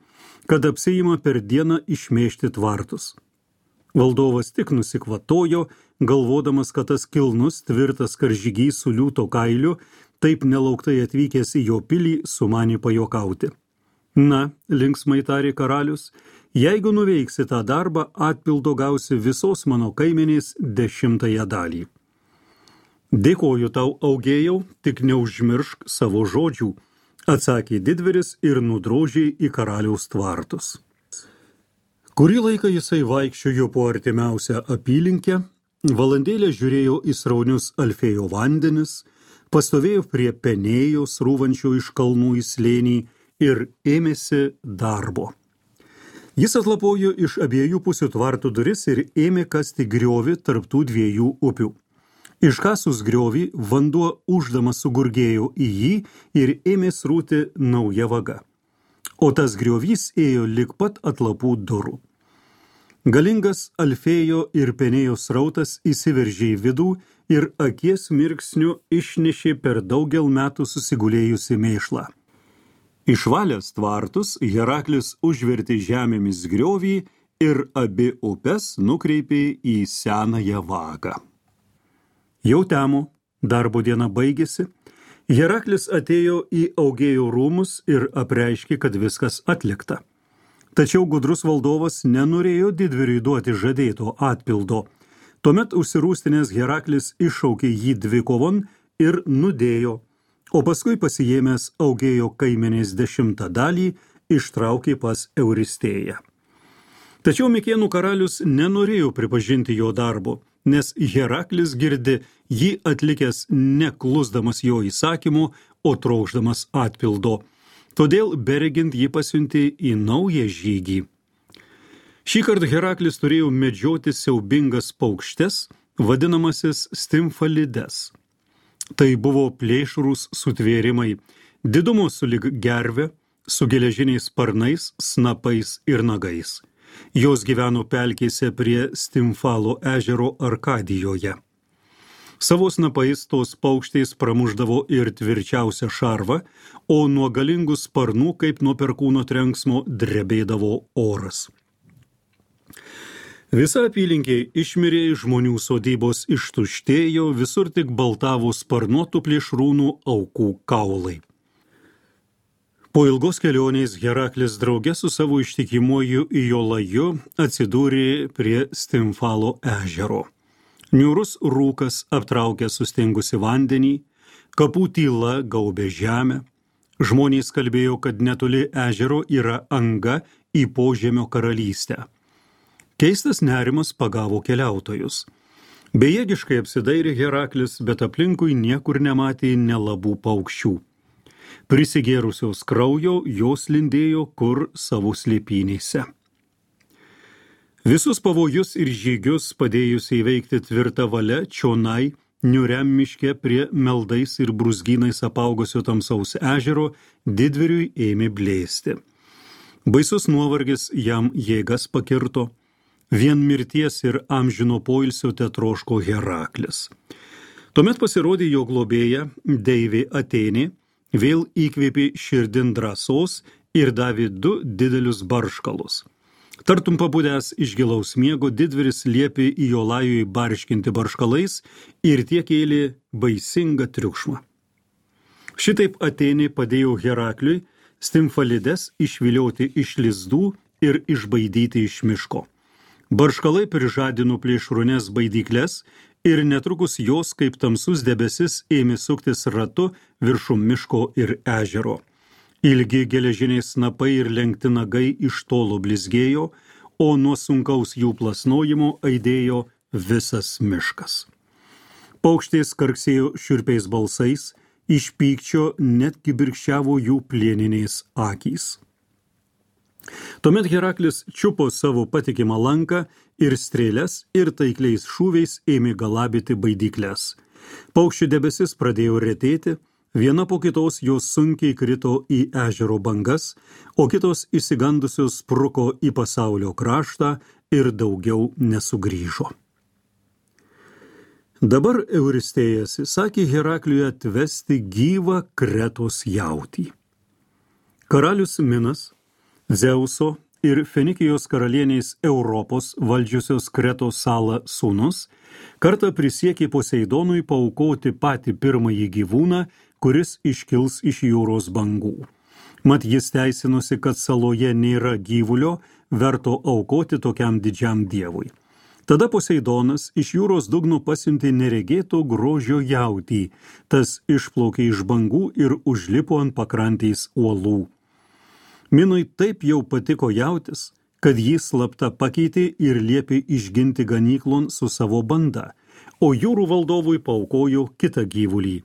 kad apsiima per dieną išmėžti tvartus. Valdovas tik nusikvatojo, galvodamas, kad tas kilnus tvirtas karžygys su liūto kailiu, taip nelauktai atvykęs į jo pilį, sumanė pajokauti. Na, linksmai tarė karalius, jeigu nuveiksi tą darbą, atpildo gausi visos mano kaimenės dešimtąją dalį. Dėkoju tau, Augėjau, tik neužmiršk savo žodžių, atsakė didvyris ir nudrožė į karaliaus tvartus. Kurį laiką jisai vaikščiojo po artimiausią apylinkę, valandėlę žiūrėjo į sraunius Alfėjo vandenis, pastovėjo prie Penėjos rūvančio iš kalnų į slėnį ir ėmėsi darbo. Jis atlapojo iš abiejų pusių tvartų duris ir ėmė kasti griovį tarp tų dviejų upių. Iškasus griovį, vanduo uždamas sugurgėjo į jį ir ėmė srūti nauja vaga. O tas griovys ėjo lig pat atlapų durų. Galingas Alfėjo ir Penėjos srautas įsiveržė į vidų ir akies mirksniu išnešė per daugel metų susigulėjusi mėšlą. Išvalęs tvartus, Heraklis užvertė žemėmis griovį ir abi upes nukreipė į senąją vagą. Jau temo, darbo diena baigėsi, Heraklis atėjo į Augėjo rūmus ir apreiškė, kad viskas atlikta. Tačiau gudrus valdovas nenorėjo didvyriui duoti žadėto atpildo. Tuomet užsirūstinės Heraklis iššaukė jį dvikovon ir nudėjo, o paskui pasiėmęs Augėjo kaimenės dešimtą dalį ištraukė pas Euristėją. Tačiau Mikėnų karalius nenorėjo pripažinti jo darbo, nes Heraklis girdi jį atlikęs neklusdamas jo įsakymu, o trokšdamas atpildo. Todėl beregint jį pasiuntė į naują žygį. Šį kartą Heraklis turėjo medžioti siaubingas paukštes, vadinamasis stimfalides. Tai buvo plėšrūs sutvėrimai, didumo sulig gerve, su geležiniais sparnais, snapais ir nagais. Jos gyveno pelkėse prie Stimfalo ežero Arkadijoje. Savo snapais tos paukštės pramuždavo ir tvirčiausią šarvą, o nuo galingų sparnų, kaip nuo perkūno trenksmo, drebėdavo oras. Visa apylinkė išmirė, žmonių sodybos ištuštėjo, visur tik baltavo sparnuotų plėšrūnų aukų kaulai. Po ilgos kelionės Heraklis drauge su savo ištikimuoju Iolaju atsidūrė prie Stimfalo ežero. Niūrus rūkas aptraukė sustingusi vandenį, kapų tyla gaubė žemę. Žmonės kalbėjo, kad netoli ežero yra anga į požemio karalystę. Keistas nerimas pagavo keliautojus. Bejėgiškai apsidairė Heraklis, bet aplinkui niekur nematė nelabų paukščių. Prisigėrusios kraujo, jos lindėjo kur savo slėpynėse. Visus pavojus ir žygius padėjusi įveikti tvirtą valią čionai, niūriam miške prie meldais ir brūzgynais apaugusio tamsaus ežero, didvyriui ėmė blėsti. Baisus nuovargis jam jėgas pakirto, vien mirties ir amžino poilsio tetroško Heraklis. Tuomet pasirodė jo globėja, deivė Atėnė, vėl įkvėpė širdin drąsos ir davė du didelius barškalus. Tartum pabudęs iš gilaus miego, didvyris liepė Iolajui barškinti barškalais ir tie kėlė baisingą triukšmą. Šitaip Atėnė padėjo Herakliui Stimfalides išvilioti iš lizdų ir išbaidyti iš miško. Barškalai prižadino plėšrūnes baidykles ir netrukus jos, kaip tamsus debesis, ėmė suktis ratu viršum miško ir ežero. Ilgi geležiniai snapai ir lenkti nagai iš tolo blizgėjo, o nuo sunkaus jų plasnojimo aidėjo visas miškas. Paukštės karksėjo šiurpiais balsais, iš pykčio net kibirkščiavo jų plieninės akys. Tuomet Heraklis čiupo savo patikimą lanką ir strėles ir taikliais šūviais ėmė galabyti baidykles. Paukščių debesis pradėjo retėti, viena po kitos jos sunkiai krito į ežero bangas, o kitos išsigandusios spruko į pasaulio kraštą ir daugiau nesugrįžo. Dabar Euristėjas įsakė Herakliui atvesti gyvą Kretos jautį. Karalius Minas, Dzeuso ir Fenikijos karalienės Europos valdžiusios Kretos salą sūnus, kartą prisiekė Poseidonui paaukoti patį pirmąjį gyvūną, kuris iškils iš jūros bangų. Mat jis teisinosi, kad saloje nėra gyvulio, verto aukoti tokiam didžiam dievui. Tada Poseidonas iš jūros dugno pasiuntė neregėto grožio jautį, tas išplaukė iš bangų ir užlipo ant pakrantės uolų. Minui taip jau patiko jautis, kad jį slapta pakeitė ir liepė išginti ganyklon su savo banda, o jūrų valdovui paaukojo kitą gyvulį.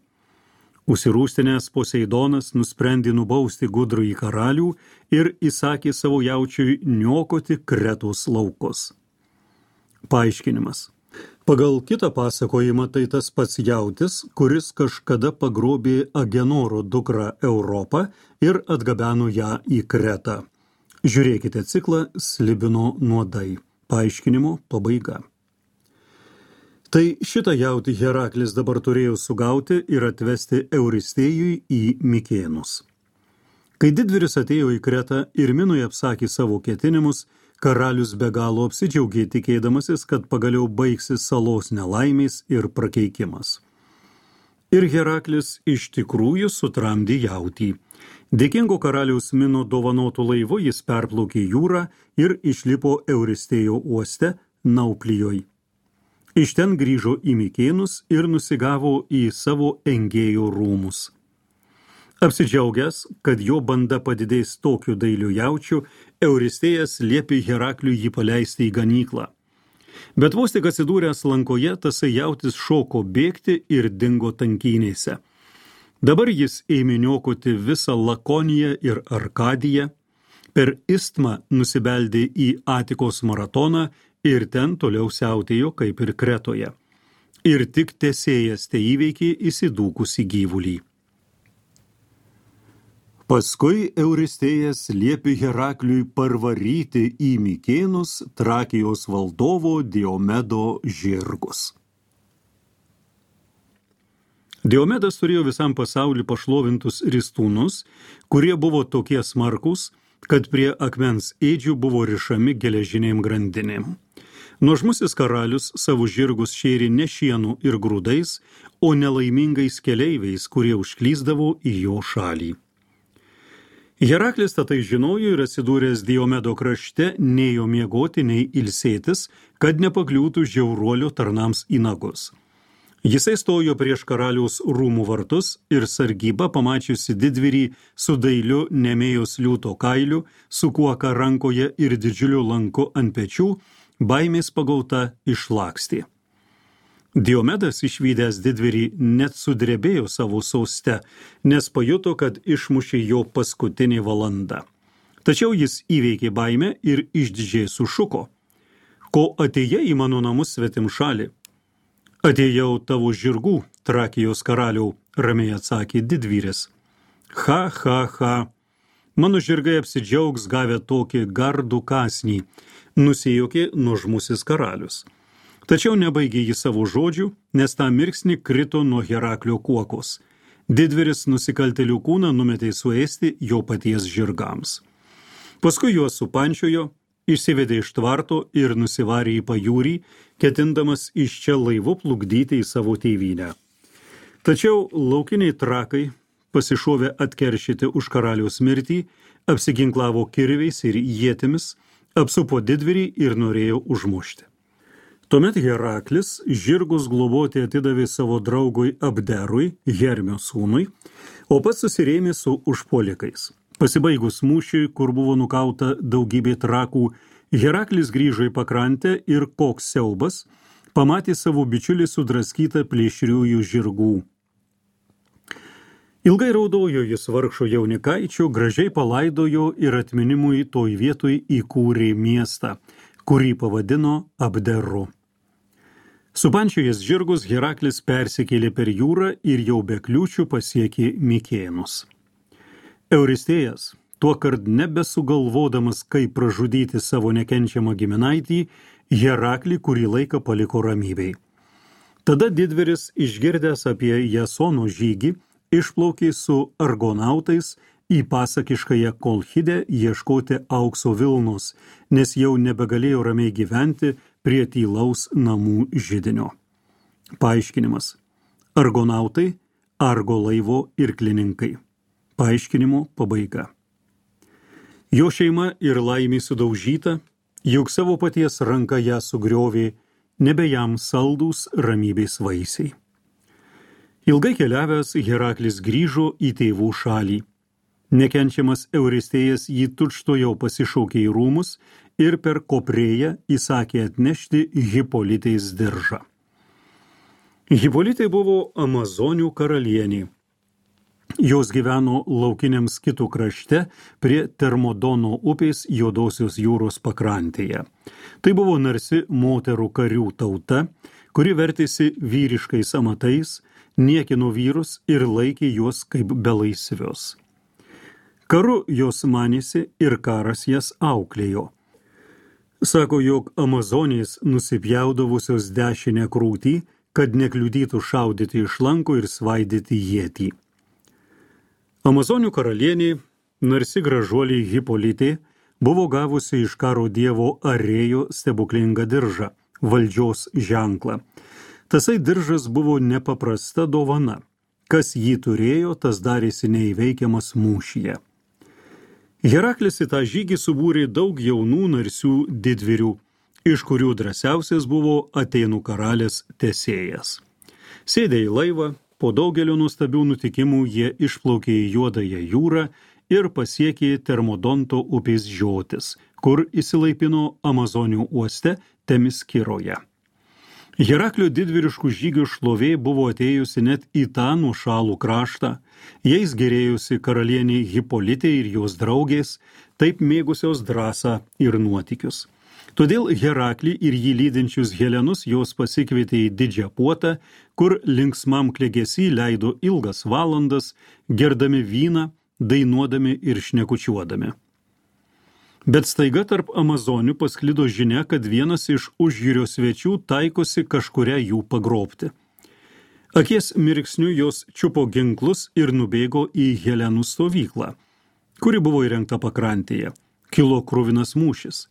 Užsirūstinęs Poseidonas nusprendė nubausti gudrųjį karalių ir įsakė savo jaučiui niokoti Kretos laukus. Paaiškinimas. Pagal kitą pasakojimą tai tas pats jautis, kuris kažkada pagrobė Agenoro dukrą Europą ir atgabeno ją į Kretą. Žiūrėkite ciklą Slibino nuodai. Paaiškinimo pabaiga. Tai šitą jautį Heraklis dabar turėjo sugauti ir atvesti Euristėjui į Mikėnus. Kai didvyris atėjo į Kretą ir Minui apsakė savo ketinimus, karalius be galo apsidžiaugė tikėdamasis, kad pagaliau baigsis salos nelaimės ir prakeikimas. Ir Heraklis iš tikrųjų sutramdė jautį. Dėkingo karaliaus Mino dovanotų laivu jis perplaukė jūrą ir išlipo Euristėjo uoste Nauplijoj. Iš ten grįžo į Mikėnus ir nusigavo į savo engėjų rūmus. Apsidžiaugęs, kad jo banda padidės tokiu dailiu jaučiu, Euristėjas liepė Herakliui jį paleisti į ganyklą. Bet vos tik atsidūręs lankoje, tasai jautis šoko bėgti ir dingo tankynėse. Dabar jis ėmė niokoti visą Lakoniją ir Arkadiją, per Istmą nusibeldė į Atikos maratoną ir ten toliau siautėjo kaip ir Kretoje. Ir tik Tesėjas te įveikė įsidūkusį gyvulį. Paskui Euristėjas liepė Herakliui parvaryti į Mikėnus Trakijos valdovo Diomedo žirgus. Diomedas turėjo visam pasauliu pašlovintus ristūnus, kurie buvo tokie smarkus, kad prie akmens ėdžių buvo rišami geležinėm grandinėm. Nuožmusis karalius savo žirgus šėrė ne šienu ir grūdais, o nelaimingais keleiviais, kurie užklysdavo į jo šalį. Heraklis tai žinojo ir atsidūręs Diomedo krašte nėjo miegoti, nei ilsėtis, kad nepakliūtų žiauruolio tarnams į nagus. Jisai stojo prieš karaliaus rūmų vartus ir sargyba, pamačiusi didvyrį su dailiu nemėjos liūto kailiu, su kuoka rankoje ir didžiuliu lanku ant pečių, baimės pagauta išlakstė. Diomedas išvydęs didvyrį net sudrebėjo savo soste, nes pajuto, kad išmušė jo paskutinė valanda. Tačiau jis įveikė baimę ir išdidžiai sušuko: ko atėjai į mano namus svetimšalį? Atėjau tavo žirgų, Trakijos karaliau, ramiai atsakė didvyris. Ha, ha, ha. Mano žirgai apsidžiaugs gavę tokį gardų kąsnį, nusijuokė nuožmusis karalius. Tačiau nebaigė jį savo žodžių, nes tą mirksnį krito nuo Heraklio kuokos. Didvyris nusikaltėlių kūną numetė suėsti jo paties žirgams. Paskui juos supančiojo, išsivedė iš tvarto ir nusivarė į pajūrį, ketindamas iš čia laivu plukdyti į savo tėvynę. Tačiau laukiniai trakai, pasišovė atkeršyti už karaliaus mirtį, apsiginklavo kirviais ir ietimis, apsupo didvyrį ir norėjo užmušti. Tuomet Heraklis žirgus globoti atidavė savo draugui Abderui, Hermio sūnui, o pats susirėmė su užpuolikais. Pasibaigus mūšiui, kur buvo nukauta daugybė trakų, Heraklis grįžo į pakrantę ir koks siaubas, pamatė savo bičiulį sudraskytą plėšriųjų žirgų. Ilgai raudojo jis vargšo jaunikaičio, gražiai palaidojo ir atminimui toj vietoj įkūrė miestą, kurį pavadino Abderu. Supančiojęs žirgus, Heraklis persikėlė per jūrą ir jau be kliūčių pasiekė Mikėnus. Euristėjas, tuo kart nebesugalvodamas, kaip pražudyti savo nekenčiamą giminaitį, Heraklį kurį laiką paliko ramybei. Tada didvyris, išgirdęs apie Jasono žygį, išplaukė su argonautais į pasakiškąją Kolchidę ieškoti aukso vilnos, nes jau nebegalėjo ramiai gyventi prie tylaus namų židinio. Paaiškinimas. Argonautai, Argo laivo irklininkai. Paaiškinimo pabaiga. Jo šeima ir laimė sudaužyta, juk savo paties ranka ją sugriovė, nebe jam saldūs ramybės vaisiai. Ilgai keliavęs, Heraklis grįžo į tėvų šalį. Nekenčiamas Euristėjas jį tučtuojau pasišaukė į rūmus ir per Koprėją įsakė atnešti Hipolitės diržą. Hipolitė buvo Amazonių karalienė. Jos gyveno laukiniam Skitų krašte prie Termodono upės Juodosios jūros pakrantėje. Tai buvo narsi moterų karių tauta, kuri vertėsi vyriškais amatais, niekino vyrus ir laikė juos kaip belaisvius. Karu jos manėsi ir karas jas auklėjo. Sako, jog Amazonės nusipjaudavusios dešinę krūtį, kad nekliudytų šaudyti iš lanko ir svaidyti ietį. Amazonių karalienė, narsi gražuolė Hipolitė, buvo gavusi iš karo dievo Arėjo stebuklingą diržą, valdžios ženklą. Tasai diržas buvo nepaprasta dovana. Kas jį turėjo, tas darėsi neįveikiamas mūšyje. Heraklis į tą žygį subūrė daug jaunų narsių didvyrių, iš kurių drąsiausias buvo Atėnų karalės Tesėjas. Sėdė į laivą, po daugelio nuostabių nutikimų jie išplaukė į Juodąją jūrą ir pasiekė Termodonto upės žiotis, kur įsilaipino Amazonių uoste Temiskiroje. Heraklio didvyriškų žygių šlovė buvo atėjusi net į tą nuošalų kraštą, jais gerėjusi karalienė Hipolitė ir jos draugės, taip mėgusios drąsą ir nuotykius. Todėl Heraklį ir jį lydinčius helenus jos pasikvietė į didžią puotą, kur linksmam klegesy leido ilgas valandas, gerdami vyną dainuodami ir šnekučiuodami. Bet staiga tarp amazonių pasklido žinia, kad vienas iš užjūrio svečių taikosi kažkuria jų pagrobti. Akies mirksniu jos čiupo ginklus ir nubėgo į Helenų stovyklą, kuri buvo įrengta pakrantėje. Kilo kruvinas mūšis.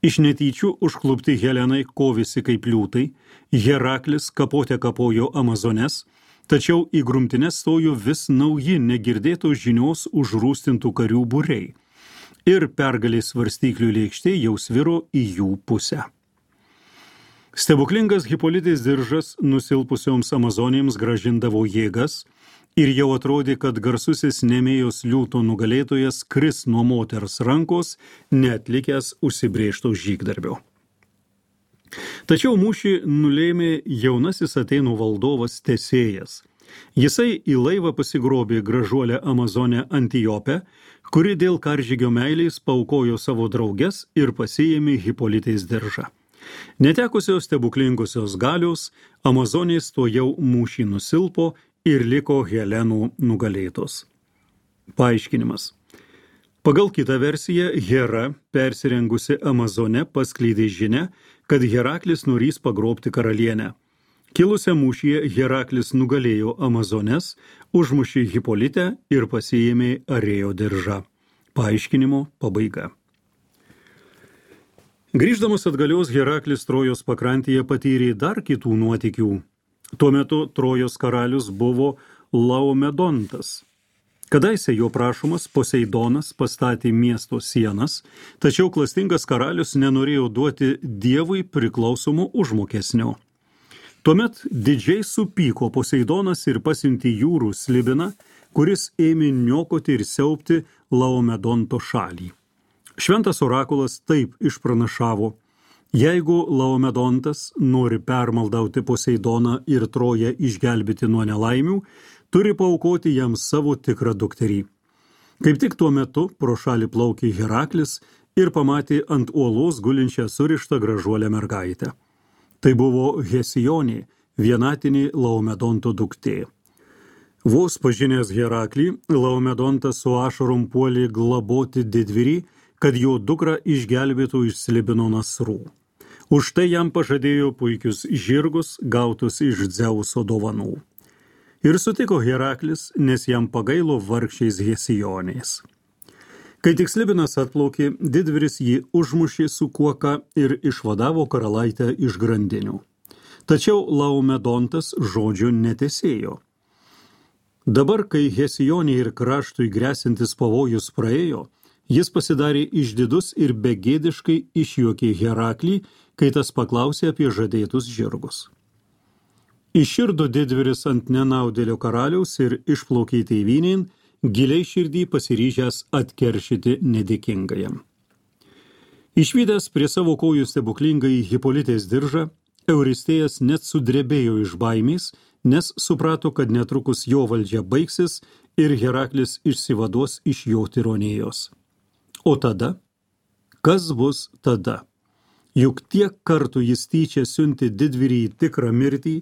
Iš netyčių užklupti Helenai kovėsi kaip liūtai, Heraklis kapote kapojo amazones, tačiau į grumtines stojo vis nauji negirdėtos žinios užrūstintų karių būriai ir pergalės svarstyklių lėkštė jau sviro į jų pusę. Stebuklingas Hipolitės diržas nusilpusioms amazonėms grąžindavo jėgas ir jau atrodė, kad garsusis Nemėjos liūto nugalėtojas kris nuo moters rankos, neatlikęs užsibrėžto žygdarbio. Tačiau mūšį nulėmė jaunasis Atėnų valdovas Tesėjas. Jisai į laivą pasigrobė gražuolę amazonę Antijopę, kuri dėl karžygio meilės paaukojo savo drauges ir pasiėmė Hipolitės diržą. Netekusios stebuklingosios galios, amazonės to jau mūšį nusilpo ir liko Helenų nugalėtos. Paaiškinimas. Pagal kitą versiją, Hera, persirengusi amazone, paskleidė žinią, kad Heraklis norės pagrobti karalienę. Kilusią mūšyje Heraklis nugalėjo amazones, užmušė Hipolitę ir pasiėmė Arėjo diržą. Paaiškinimo pabaiga. Grįždamas atgalios, Heraklis Trojos pakrantėje patyrė dar kitų nuotykių. Tuo metu Trojos karalius buvo Laomedontas. Kadaise jo prašomas Poseidonas pastatė miesto sienas, tačiau klastingas karalius nenorėjo duoti dievui priklausomo užmokesnio. Tuomet didžiai supyko Poseidonas ir pasiuntė jūrų slibiną, kuris ėmė niokoti ir siaubti Laomedonto šalį. Šventas orakulas taip išpranašavo: jeigu Laomedontas nori permaldauti Poseidoną ir Troją išgelbėti nuo nelaimių, turi paaukoti jam savo tikrą dukterį. Kaip tik tuo metu pro šalį plaukė Heraklis ir pamatė ant uolos gulinčią surištą gražuolę mergaitę. Tai buvo Hesionė, vienatinė Laomedonto duktė. Vos pažinęs Heraklį, Laomedontas su ašarom puolė globoti didvyrį, kad jo dukrą išgelbėtų iš Slibino nasrų. Už tai jam pažadėjo puikius žirgus, gautus iš Dzeuso dovanų. Ir sutiko Heraklis, nes jam pagailo vargšiais Hesionės. Kai tik Slibinas atplaukė, didvyris jį užmušė su kuoka ir išvadavo karalaitę iš grandinių. Tačiau Laomedontas žodžio netesėjo. Dabar, kai Hesionė ir kraštui grėsintis pavojus praėjo, jis pasidarė išdidus ir begėdiškai išjuokė Heraklį, kai tas paklausė apie žadėtus žirgus. Iširdo didvyris ant nenaudėlio karaliaus ir išplaukė tėvynėn, giliai širdį pasiryžęs atkeršyti nedėkingajam. Išvydęs prie savo kojų stebuklingąjį Hipolitės diržą, Euristėjas net sudrebėjo iš baimės, nes suprato, kad netrukus jo valdžia baigsis ir Heraklis išsivaduos iš jo tironėjos. O tada? Kas bus tada? Juk tiek kartų jis tyčia siuntė didvyrį į tikrą mirtį,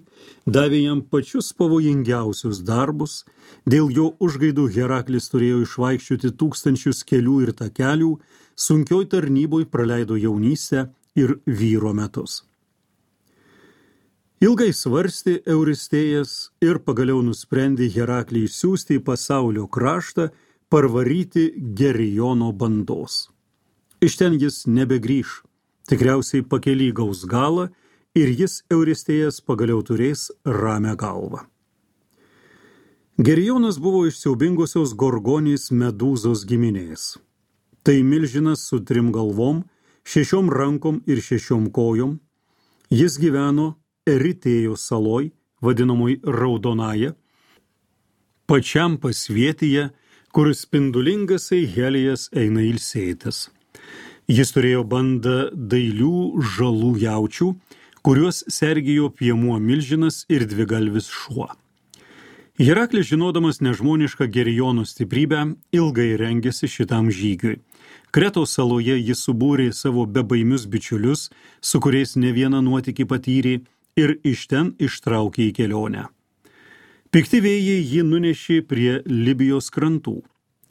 davė jam pačius pavojingiausius darbus, dėl jo užgaidų Heraklis turėjo išvaikščioti tūkstančius kelių ir takelių, sunkioj tarnyboj praleido jaunystę ir vyro metus. Ilgai svarstė Euristėjas ir pagaliau nusprendė Heraklį išsiųsti į pasaulio kraštą, parvaryti Geriono bandos. Iš ten jis nebegrįš. Tikriausiai pakely gaus galą ir jis Euristėjas pagaliau turės ramią galvą. Gerionas buvo iš siaubingosios Gorgonės Medūzos giminės. Tai milžinas su trim galvom, šešiom rankom ir šešiom kojom. Jis gyveno Eritėjos saloj, vadinamoj Raudonaja, pačiam pasvietyje, kur spindulingasai Helijas eina ilsėtis. Jis turėjo bandą dailių žalų jaučių, kuriuos sergijo piemuo milžinas ir dvigalvis šuo. Heraklis, žinodamas nežmonišką Geriono stiprybę, ilgai rengėsi šitam žygiui. Kretos saloje jis subūrė savo bebaimius bičiulius, su kuriais ne vieną nuotykį patyrė, ir iš ten ištraukė į kelionę. Pikti vėjai jį nunešė prie Libijos krantų.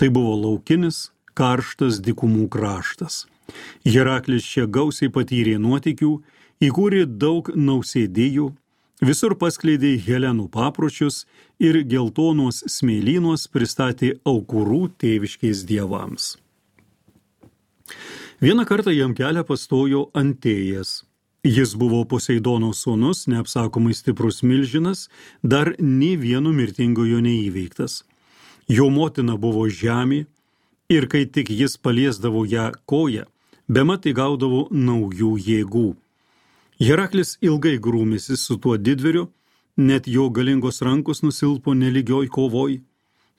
Tai buvo laukinis, karštas dykumų kraštas. Heraklis čia gausiai patyrė nuotykių, įkūrė daug nausėdijų, visur paskleidė Helenų papročius ir geltonos smėlynos pristatė aukurų tėviškiais dievams. Vieną kartą jam kelią pastojo Antėjas. Jis buvo Poseidono sūnus, neapsakomai stiprus milžinas, dar nė vieno mirtingojo neįveiktas. Jo motina buvo žemė ir kai tik jis paliesdavo ją koją, bemat įgaudavo naujų jėgų. Heraklis ilgai grūmėsi su tuo didvyriu, net jo galingos rankos nusilpo nelygioj kovoj,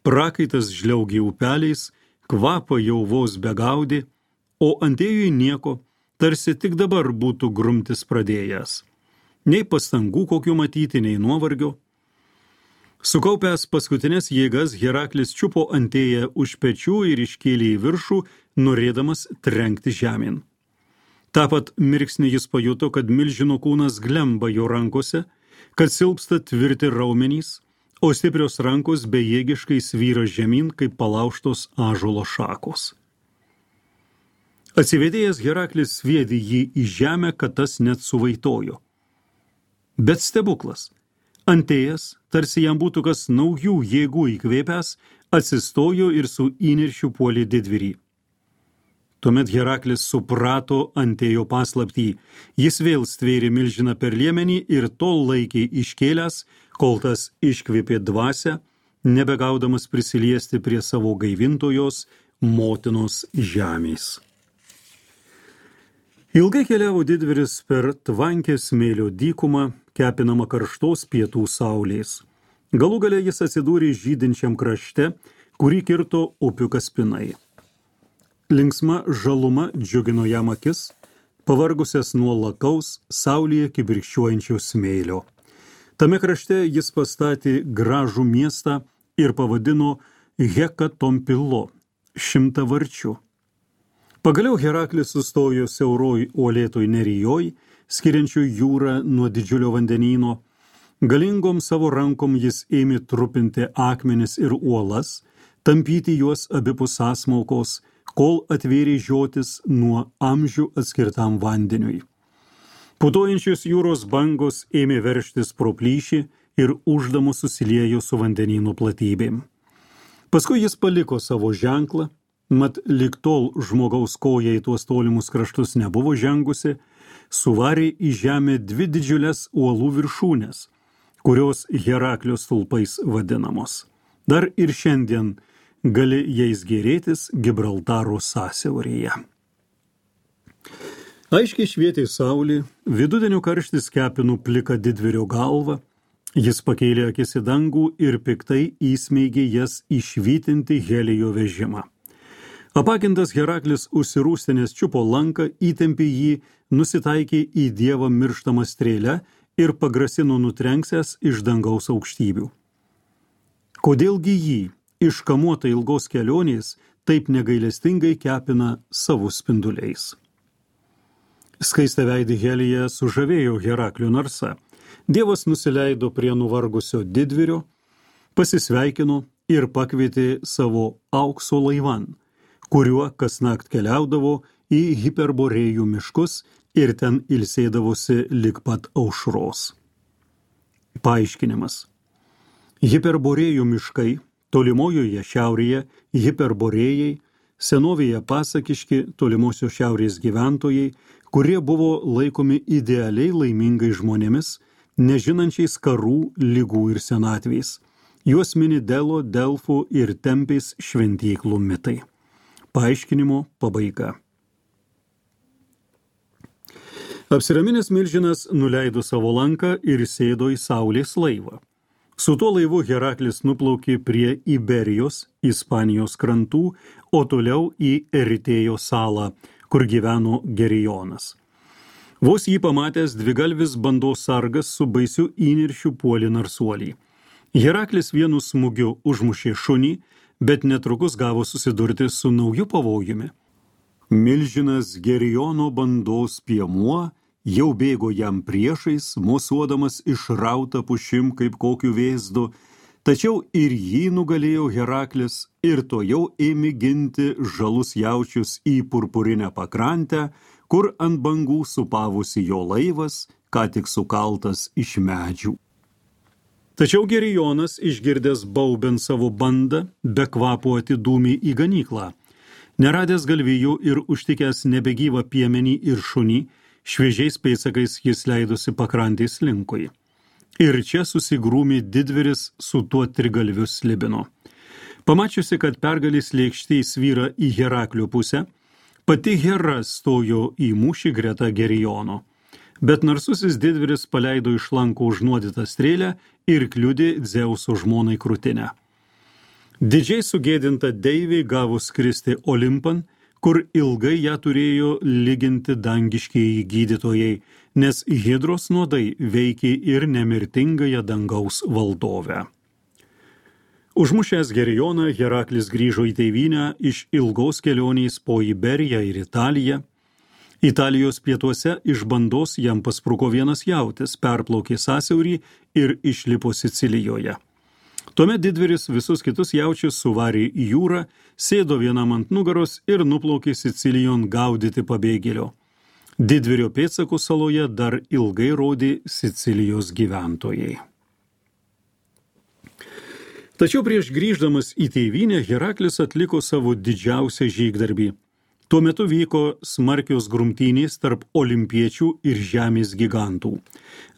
prakaitas žliaugė upeliais, kvapą jau vos begaudė, o Antėjui nieko, tarsi tik dabar būtų grumtis pradėjęs. Nei pastangų kokių matyti, nei nuovargio. Sukaupęs paskutinės jėgas, Heraklis čiupo Antėją už pečių ir iškėlė į viršų, norėdamas trenkti žemėn. Ta pat mirksnį jis pajuto, kad milžino kūnas glemba jo rankose, kad silpsta tvirti raumenys, o stiprios rankos bejėgiškai svyra žemyn, kaip palaužtos ąžuolo šakos. Atsivedėjęs Heraklis sviedė jį į žemę, kad tas net suvaitojo. Bet stebuklas. Antėjas, tarsi jam būtų kas naujų jėgų įkvėpęs, atsistojo ir su įniršiu puolė didvyrį. Tuomet Heraklis suprato Antėjo paslaptį. Jis vėl stvėrė milžiną per liemenį ir tol laikė iškėlęs, kol tas iškvėpė dvasią, nebegaudamas prisiliesti prie savo gaivintojos motinos žemės. Ilgai keliavo didvyris per tvankę smėlio dykumą, kepinamą karštos pietų saulės. Galų gale jis atsidūrė žydinčiam krašte, kurį kirto upių kaspinai. Linksma žaluma džiugino jam akis, pavargusias nuo lakaus, saulėje kibirkščiuojančio smėlio. Tame krašte jis pastatė gražų miestą ir pavadino Hekatompilo, šimtavarčiu. Pagaliau Heraklis sustojo siauroj uolėtoj nerijoj, skiriančių jūrą nuo didžiulio vandenyno. Galingom savo rankom jis ėmė trupinti akmenis ir uolas, tampyti juos abipus sąsmaukos, kol atvėrė žiotis nuo amžių atskirtam vandeniui. Putojančios jūros bangos ėmė veržtis pro plyšį ir uždamos susiliejo su vandenyno platybėm. Paskui jis paliko savo ženklą, mat lig tol žmogaus koja į tuos tolimus kraštus nebuvo žengusi, suvarė į žemę dvi didžiulės uolų viršūnės, kurios Heraklio stulpais vadinamos. Dar ir šiandien gali jais gėrėtis Gibraltaro sąsiauryje. Aiškiai švietė saulė, vidudienio karštis kepino pliką didvyrio galvą, jis pakėlė akis į dangų ir piktai įsmeigė jas išvytinti Helijo vežimą. Apakintas Heraklis užsirūstinės čiupo lanką, įtempė jį, nusitaikė į dievą mirštamą strėlę ir pagrasino nutrenksęs iš dangaus aukštybių. Kodėlgi jį, iškamuota ilgos kelionės, taip negailestingai kepina savo spinduliais? Skaistaveidį Heliją sužavėjo Heraklio narsa. Dievas nusileido prie nuvargusio didvyrio, pasisveikino ir pakvietė savo aukso laivan, kuriuo kasnakt keliaudavo į Hiperborėjų miškus ir ten ilsėdavosi lig pat aušros. Paaiškinimas. Hiperborėjų miškai, tolimojoje šiaurėje Hiperborėjai, senovėje pasakiški tolimosios šiaurės gyventojai, kurie buvo laikomi idealiai laimingai žmonėmis, nežinančiais karų, ligų ir senatvės. Juos mini Delo, Delfų ir Tempės šventyklų mitai. Paaiškinimo pabaiga. Apsiraminęs milžinas nuleido savo lanką ir sėdo į saulės laivą. Su tuo laivu Heraklis nuplaukė prie Iberijos, Ispanijos krantų, o toliau į Eritėjo salą, kur gyveno Gerijonas. Vos jį pamatęs, dvigalvis bandos sargas su baisiu įniršiu puolė narsuolį. Heraklis vienu smūgiu užmušė šunį, bet netrukus gavo susidurti su nauju pavojumi. Milžinas Gerijono bandos piemuo jau bėgo jam priešais, mosuodamas išrautą pušim kaip kokiu vėzdu, Tačiau ir jį nugalėjo Heraklis ir tojau ėmė ginti žalus jaučius į purpurinę pakrantę, kur ant bangų supavusi jo laivas, ką tik sukaltas iš medžių. Tačiau Gerijonas, išgirdęs baubiant savo bandą, be kvapo atidūmė į ganyklą. Neradęs galvijų ir užtikęs nebegyvą piemenį ir šunį, šviežiais pėdsakais jis leidosi pakrantės linkui. Ir čia susigrūmė didvyris su tuo trigalviu slibinu. Pamačiusi, kad pergalės lėkštė svyra į Heraklio pusę, pati Hera stojo į mūšį greta Gerijono. Bet narsusis didvyris paleido iš lanko užnuodytą strėlę ir kliudė Dzeuso žmonai krūtinę. Didžiai sugėdinta deivė gavo skristi Olimpan, kur ilgai ją turėjo lyginti dangiškieji gydytojai, nes Hidros nuodai veikė ir nemirtingąją dangaus valdovę. Užmušęs Gerijoną, Heraklis grįžo į tėvynę iš ilgos kelionės po Iberiją ir Italiją. Italijos pietuose iš bandos jam paspruko vienas jautis, perplaukė sąsiaurį ir išlipo Sicilijoje. Tuomet didvyris visus kitus jaučius suvarė į jūrą, sėdo vienam ant nugaros ir nuplaukė Sicilijon gaudyti pabėgėlio. Didvyrio pėdsakų saloje dar ilgai rodė Sicilijos gyventojai. Tačiau prieš grįždamas į tėvynę Heraklis atliko savo didžiausią žygdarbį. Tuo metu vyko smarkios grumtynės tarp olimpiečių ir žemės gigantų.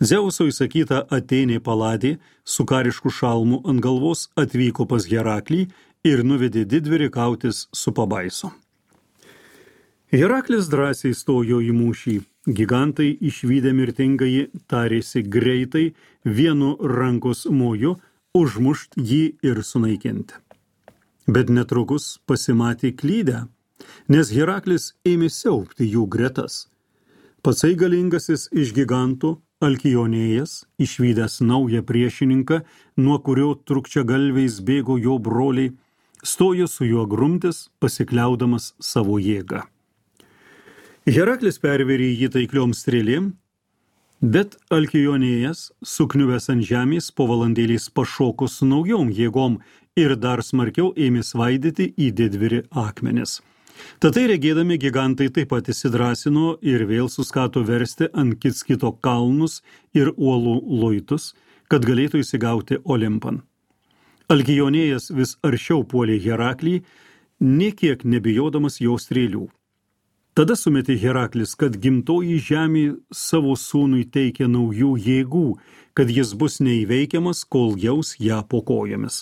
Dzeuso įsakyta Atėnė Paladė su karišku šalmu ant galvos atvyko pas Heraklį ir nuvedė didvyrį kautis su pabaiso. Heraklis drąsiai stojo į mūšį. Gigantai išvydę mirtingąjį tarėsi greitai vienu rankos moju užmušt jį ir sunaikinti. Bet netrukus pasimatė klydę, nes Heraklis ėmė siaubti jų gretas. Patsai galingasis iš gigantų, Alkionėjas, išvydęs naują priešininką, nuo kurio trukčiagalviais bėgo jo broliai, stojo su juo grumtis, pasikliaudamas savo jėgą. Heraklis pervėrė jį taikliom strėlėm, bet Alkionėjas, sukniuvęs ant žemės, po valandėlės pašoko su naujom jėgom ir dar smarkiau ėmė svaidyti į didvyrį akmenis. Tatai regėdami gigantai taip pat įsidrasino ir vėl suskato versti ant kits kito kalnus ir uolų luitus, kad galėtų įsigauti Olimpan. Alkionėjas vis aršiau puolė Heraklį, nė kiek nebijodamas jo strėlių. Tada sumetė Heraklis, kad gimtoji žemė savo sūnui teikia naujų jėgų, kad jis bus neįveikiamas, kol jaus ją po kojomis.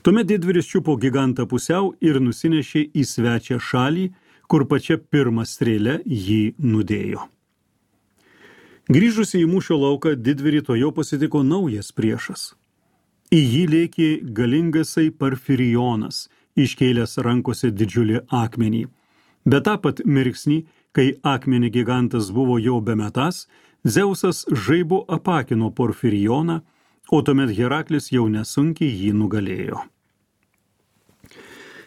Tuomet didvyris čiupo gigantą pusiau ir nusinešė į svečią šalį, kur pačia pirmą strėlę jį nudėjo. Grįžusi į mūšio lauką, didvyrį tojau pasitiko naujas priešas. Į jį lėkė galingasai Parfirijonas, iškėlęs rankose didžiulį akmenį. Bet tą pat mirksnį, kai akmenį gigantas buvo jau bemetąs, Dzeusas žaibu apakino Porfirijoną, o tuomet Heraklis jau nesunkiai jį nugalėjo.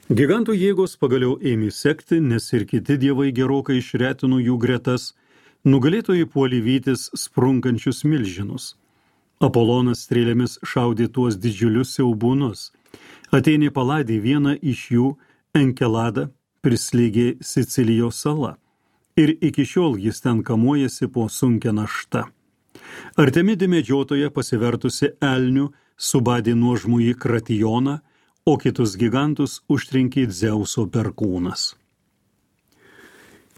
Gigantų jėgos pagaliau ėmė sekti, nes ir kiti dievai gerokai išretino jų gretas, nugalėtojai puolė vytis sprunkančius milžinus. Apolonas strėlėmis šaudė tuos didžiulius siaubūnus. Atėnė Paladė vieną iš jų, Enkeladą, prislėgė Sicilijos sala, ir iki šiol jis ten kamuojasi po sunkia našta. Artemidė medžiotoja pasivertusi elnių subadė nuožmųjį Kratijoną, o kitus gigantus užtrinkė Dzeuso perkūnas.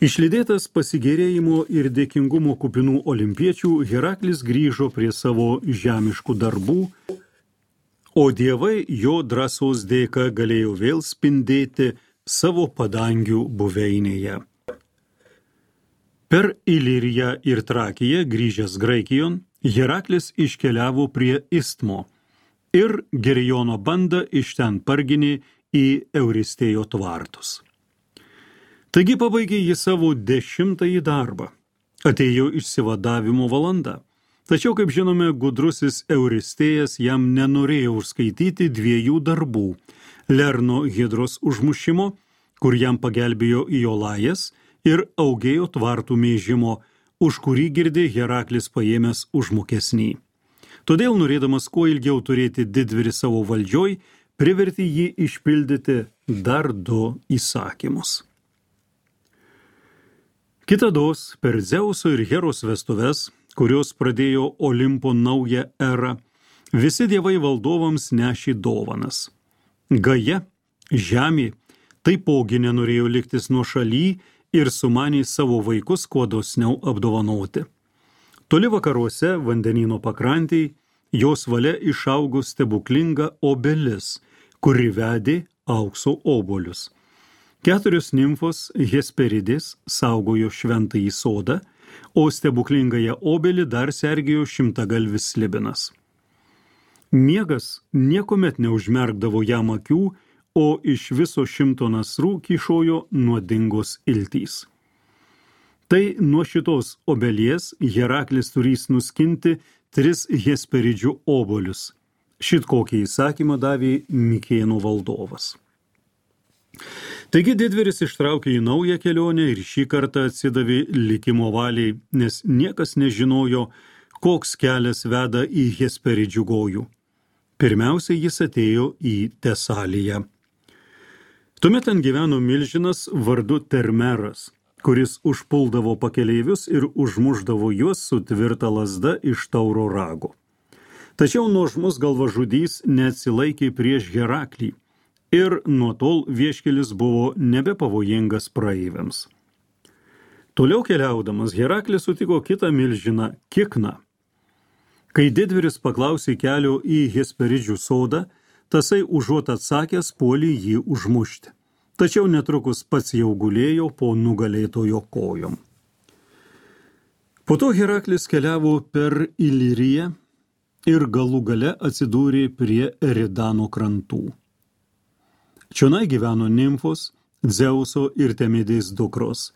Išlydėtas pasigėrėjimo ir dėkingumo kupinų olimpiečių, Heraklis grįžo prie savo žemiškų darbų, o dievai jo drąsos dėka galėjo vėl spindėti savo padangių buveinėje. Per Iliriją ir Trakiją grįžęs Graikijon, Heraklis iškeliavo prie Istmo ir Gerijono bandą iš ten parginė į Euristėjo tvartus. Taigi pabaigė jį savo dešimtąjį darbą. Atėjo išsivadavimo valanda. Tačiau, kaip žinome, gudrusis Euristėjas jam nenorėjo užskaityti dviejų darbų – Lerno Hidros užmušimo, kur jam pagelbėjo Iolajas, ir Augėjo tvartų mėžimo, už kurį girdė Heraklis paėmęs užmokesnį. Todėl, norėdamas kuo ilgiau turėti didvyrį savo valdžioj, privertė jį išpildyti dar du įsakymus. Kitados, per Dzeuso ir Heros vestuves, kurios pradėjo Olimpo naują erą, visi dievai valdovams nešė dovanas. Gaja, žemė, taipogi nenorėjo liktis nuošaly ir sumanė savo vaikus kuo dosniau apdovanoti. Toli vakaruose, vandenyno pakrantėj, jos valia išaugo stebuklinga obelis, kuri vedė aukso obuolius. Keturios nimfos Hesperidės saugojo šventąjį sodą, o stebuklingąją obelį dar sergėjo šimtagalvis slibinas. Miegas niekuomet neužmerkdavo jam akių, o iš viso šimto nasrų kyšojo nuodingos iltys. Tai nuo šitos obelies Heraklis turys nuskinti tris Hesperidžių obuolius. Šit kokį įsakymą davė Mikėnų valdovas. Taigi didvyris ištraukė į naują kelionę ir šį kartą atsidavė likimo valiai, nes niekas nežinojo, koks kelias veda į Hesperidžių gojų. Pirmiausia, jis atėjo į Tesaliją. Tuomet ten gyveno milžinas vardu Termeras, kuris užpuldavo pakeleivius ir užmušdavo juos su tvirta lazda iš tauro rago. Tačiau nuožmus galvažudys neatsilaikė prieš Heraklį ir nuo tol vieškelis buvo nebepavojingas praeiviams. Toliau keliaudamas Heraklis sutiko kitą milžiną Kikną. Kai didvyris paklausė kelio į Hesperidžių sodą, tasai užuot atsakęs puolė jį užmušti. Tačiau netrukus pats jau gulėjo po nugalėtojo kojom. Po to Heraklis keliavo per Iliriją ir galų gale atsidūrė prie Eridano krantų. Čionai gyveno nimfos, Dzeuso ir Temidės dukros,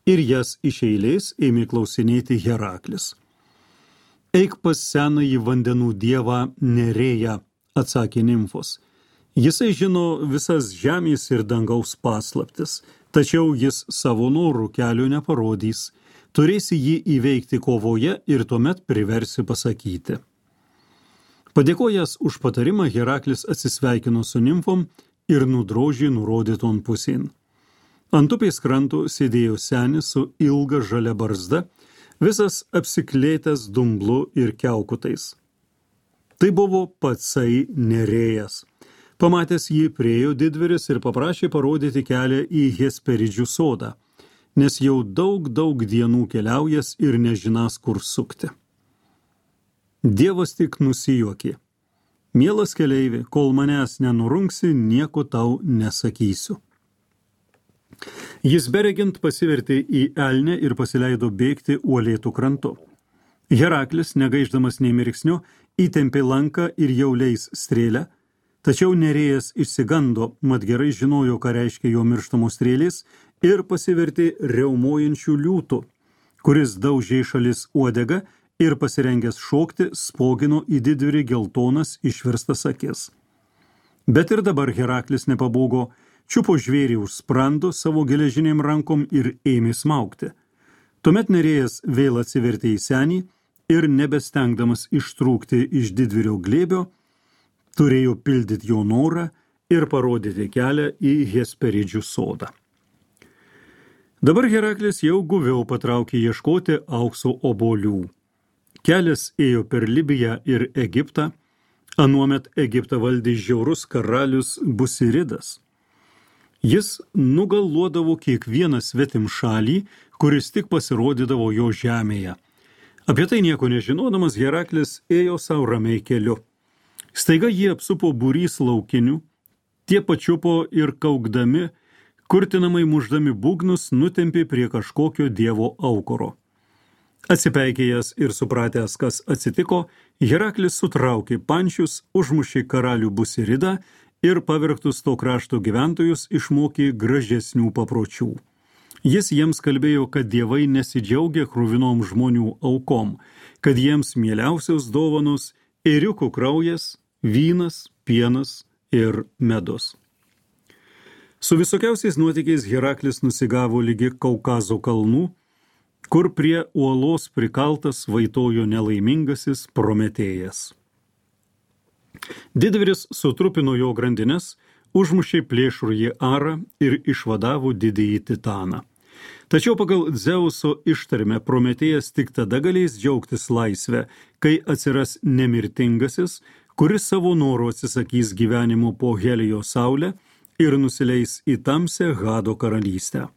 ir jas iš eilės ėmė klausinėti Heraklis. Eik pas senąjį vandenų dievą Nerėją, atsakė nimfos. Jisai žino visas žemės ir dangaus paslaptis, tačiau jis savo norų kelio neparodys. Turėsi jį įveikti kovoje ir tuomet priversi pasakyti. Padėkojęs už patarimą, Heraklis atsisveikino su nimfom ir nudrožė nurodyton pusėn. Ant upės kranto sėdėjo senis su ilga žalia barzda, visas apsiklėtęs dumblu ir kiaukutais. Tai buvo patsai Nerėjas. Pamatęs jį priėjo didvyris ir paprašė parodyti kelią į Hesperidžių sodą, nes jau daug, daug dienų keliaujas ir nežinas, kur sukti. Dievas tik nusijuokė. Mielas keleivi, kol manęs nenurungsi, nieko tau nesakysiu. Jis beregint pasivertė į elnę ir pasileido bėgti uolėtų krantu. Heraklis, negaiždamas nei mirksnio, įtempė lanką ir jau leis strėlę, tačiau Nerėjas išsigando, mat gerai žinojo, ką reiškia jo mirštamos strėlės, ir pasivertė riaumojančių liūtų, kuris daužė šalis uodegą ir pasirengęs šokti spogino į didvyrį geltonas išverstas akis. Bet ir dabar Heraklis nepabūgo, čiupo žvėrį už sprando savo geležinėm rankom ir ėmė smaugti. Tuomet Nerėjas vėl atsivertė į senį ir nebestengdamas ištrūkti iš didvyrio glėbio, turėjo pildyti jo norą ir parodyti kelią į Hesperidžių sodą. Dabar Heraklis jau guviau patraukė ieškoti aukso obuolių. Kelias ėjo per Libiją ir Egiptą, anuomet Egiptą valdė žiaurus karalius Busiridas. Jis nugalvodavo kiekvieną svetim šalį, kuris tik pasirodydavo jo žemėje. Apie tai nieko nežinodamas, Heraklis ėjo savo ramiai keliu. Staiga jį apsupo būrys laukinių, tie pačiupo ir kaukdami, kurtinamai muždami būgnus, nutempė prie kažkokio dievo aukuro. Atsipeikėjęs ir supratęs, kas atsitiko, Heraklis sutraukė pančius, užmušė karalių Busiridą ir pavergtus to krašto gyventojus išmokė gražesnių papročių. Jis jiems kalbėjo, kad dievai nesidžiaugia kruvinom žmonių aukom, kad jiems mieliausios dovanos ėriukų kraujas, vynas, pienas ir medus. Su visokiausiais nuotykiais Heraklis nusigavo lygi Kaukazo kalnų, kur prie uolos prikaltas vaitojo nelaimingasis Prometėjas. Didvyris sutrupino jo grandines, užmušė plėšrųjį Arą ir išvadavo didįjį Titaną. Tačiau pagal Dzeuso ištarmę Prometėjas tik tada galės džiaugtis laisvę, kai atsiras nemirtingasis, kuris savo noru atsisakys gyvenimo po Helijo saulę ir nusileis į tamsią Hado karalystę.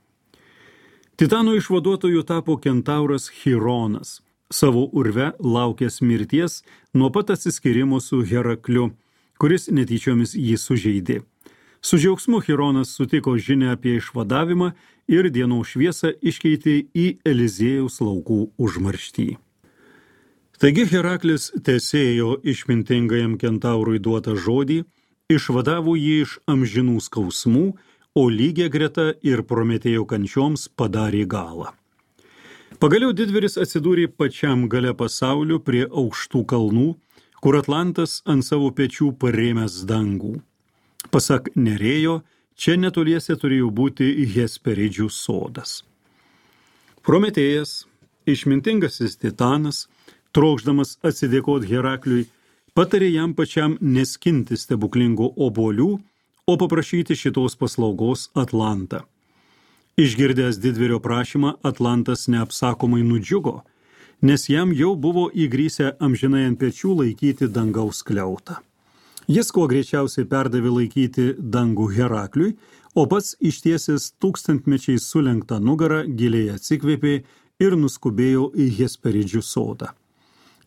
Titano išvaduotojų tapo kentauras Chironas, savo urve laukęs mirties nuo pat atsiskyrimo su Herakliu, kuris netyčiomis jį sužeidė. Su džiaugsmu Chironas sutiko žinią apie išvadavimą ir dienos šviesą iškeitė į Eliziejaus laukų užmarštį. Taigi Heraklis tesėjo išmintingajam kentaurui duotą žodį, išvadavo jį iš amžinų skausmų, o lygia greta ir Prometėjo kančioms padarė galą. Pagaliau didvyris atsidūrė pačiam gale pasaulio prie aukštų kalnų, kur Atlantas ant savo pečių parėmęs dangų. Pasak Nerėjo, čia netoliese turėjo būti Hesperidžių sodas. Prometėjas, išmintingasis Titanas, trokšdamas atsidėkoti Herakliui, patarė jam pačiam neskinti stebuklingų obuolių, o paprašyti šitos paslaugos Atlantą. Išgirdęs didvyrio prašymą, Atlantas neapsakomai nudžiugo, nes jam jau buvo įgrįsę amžinai ant pečių laikyti dangaus skliautą. Jis kuo greičiausiai perdavė laikyti dangų Herakliui, o pats ištiesęs tūkstantmečiais sulenktą nugarą giliai atsikvėpė ir nuskubėjo į Hesperidžių sodą.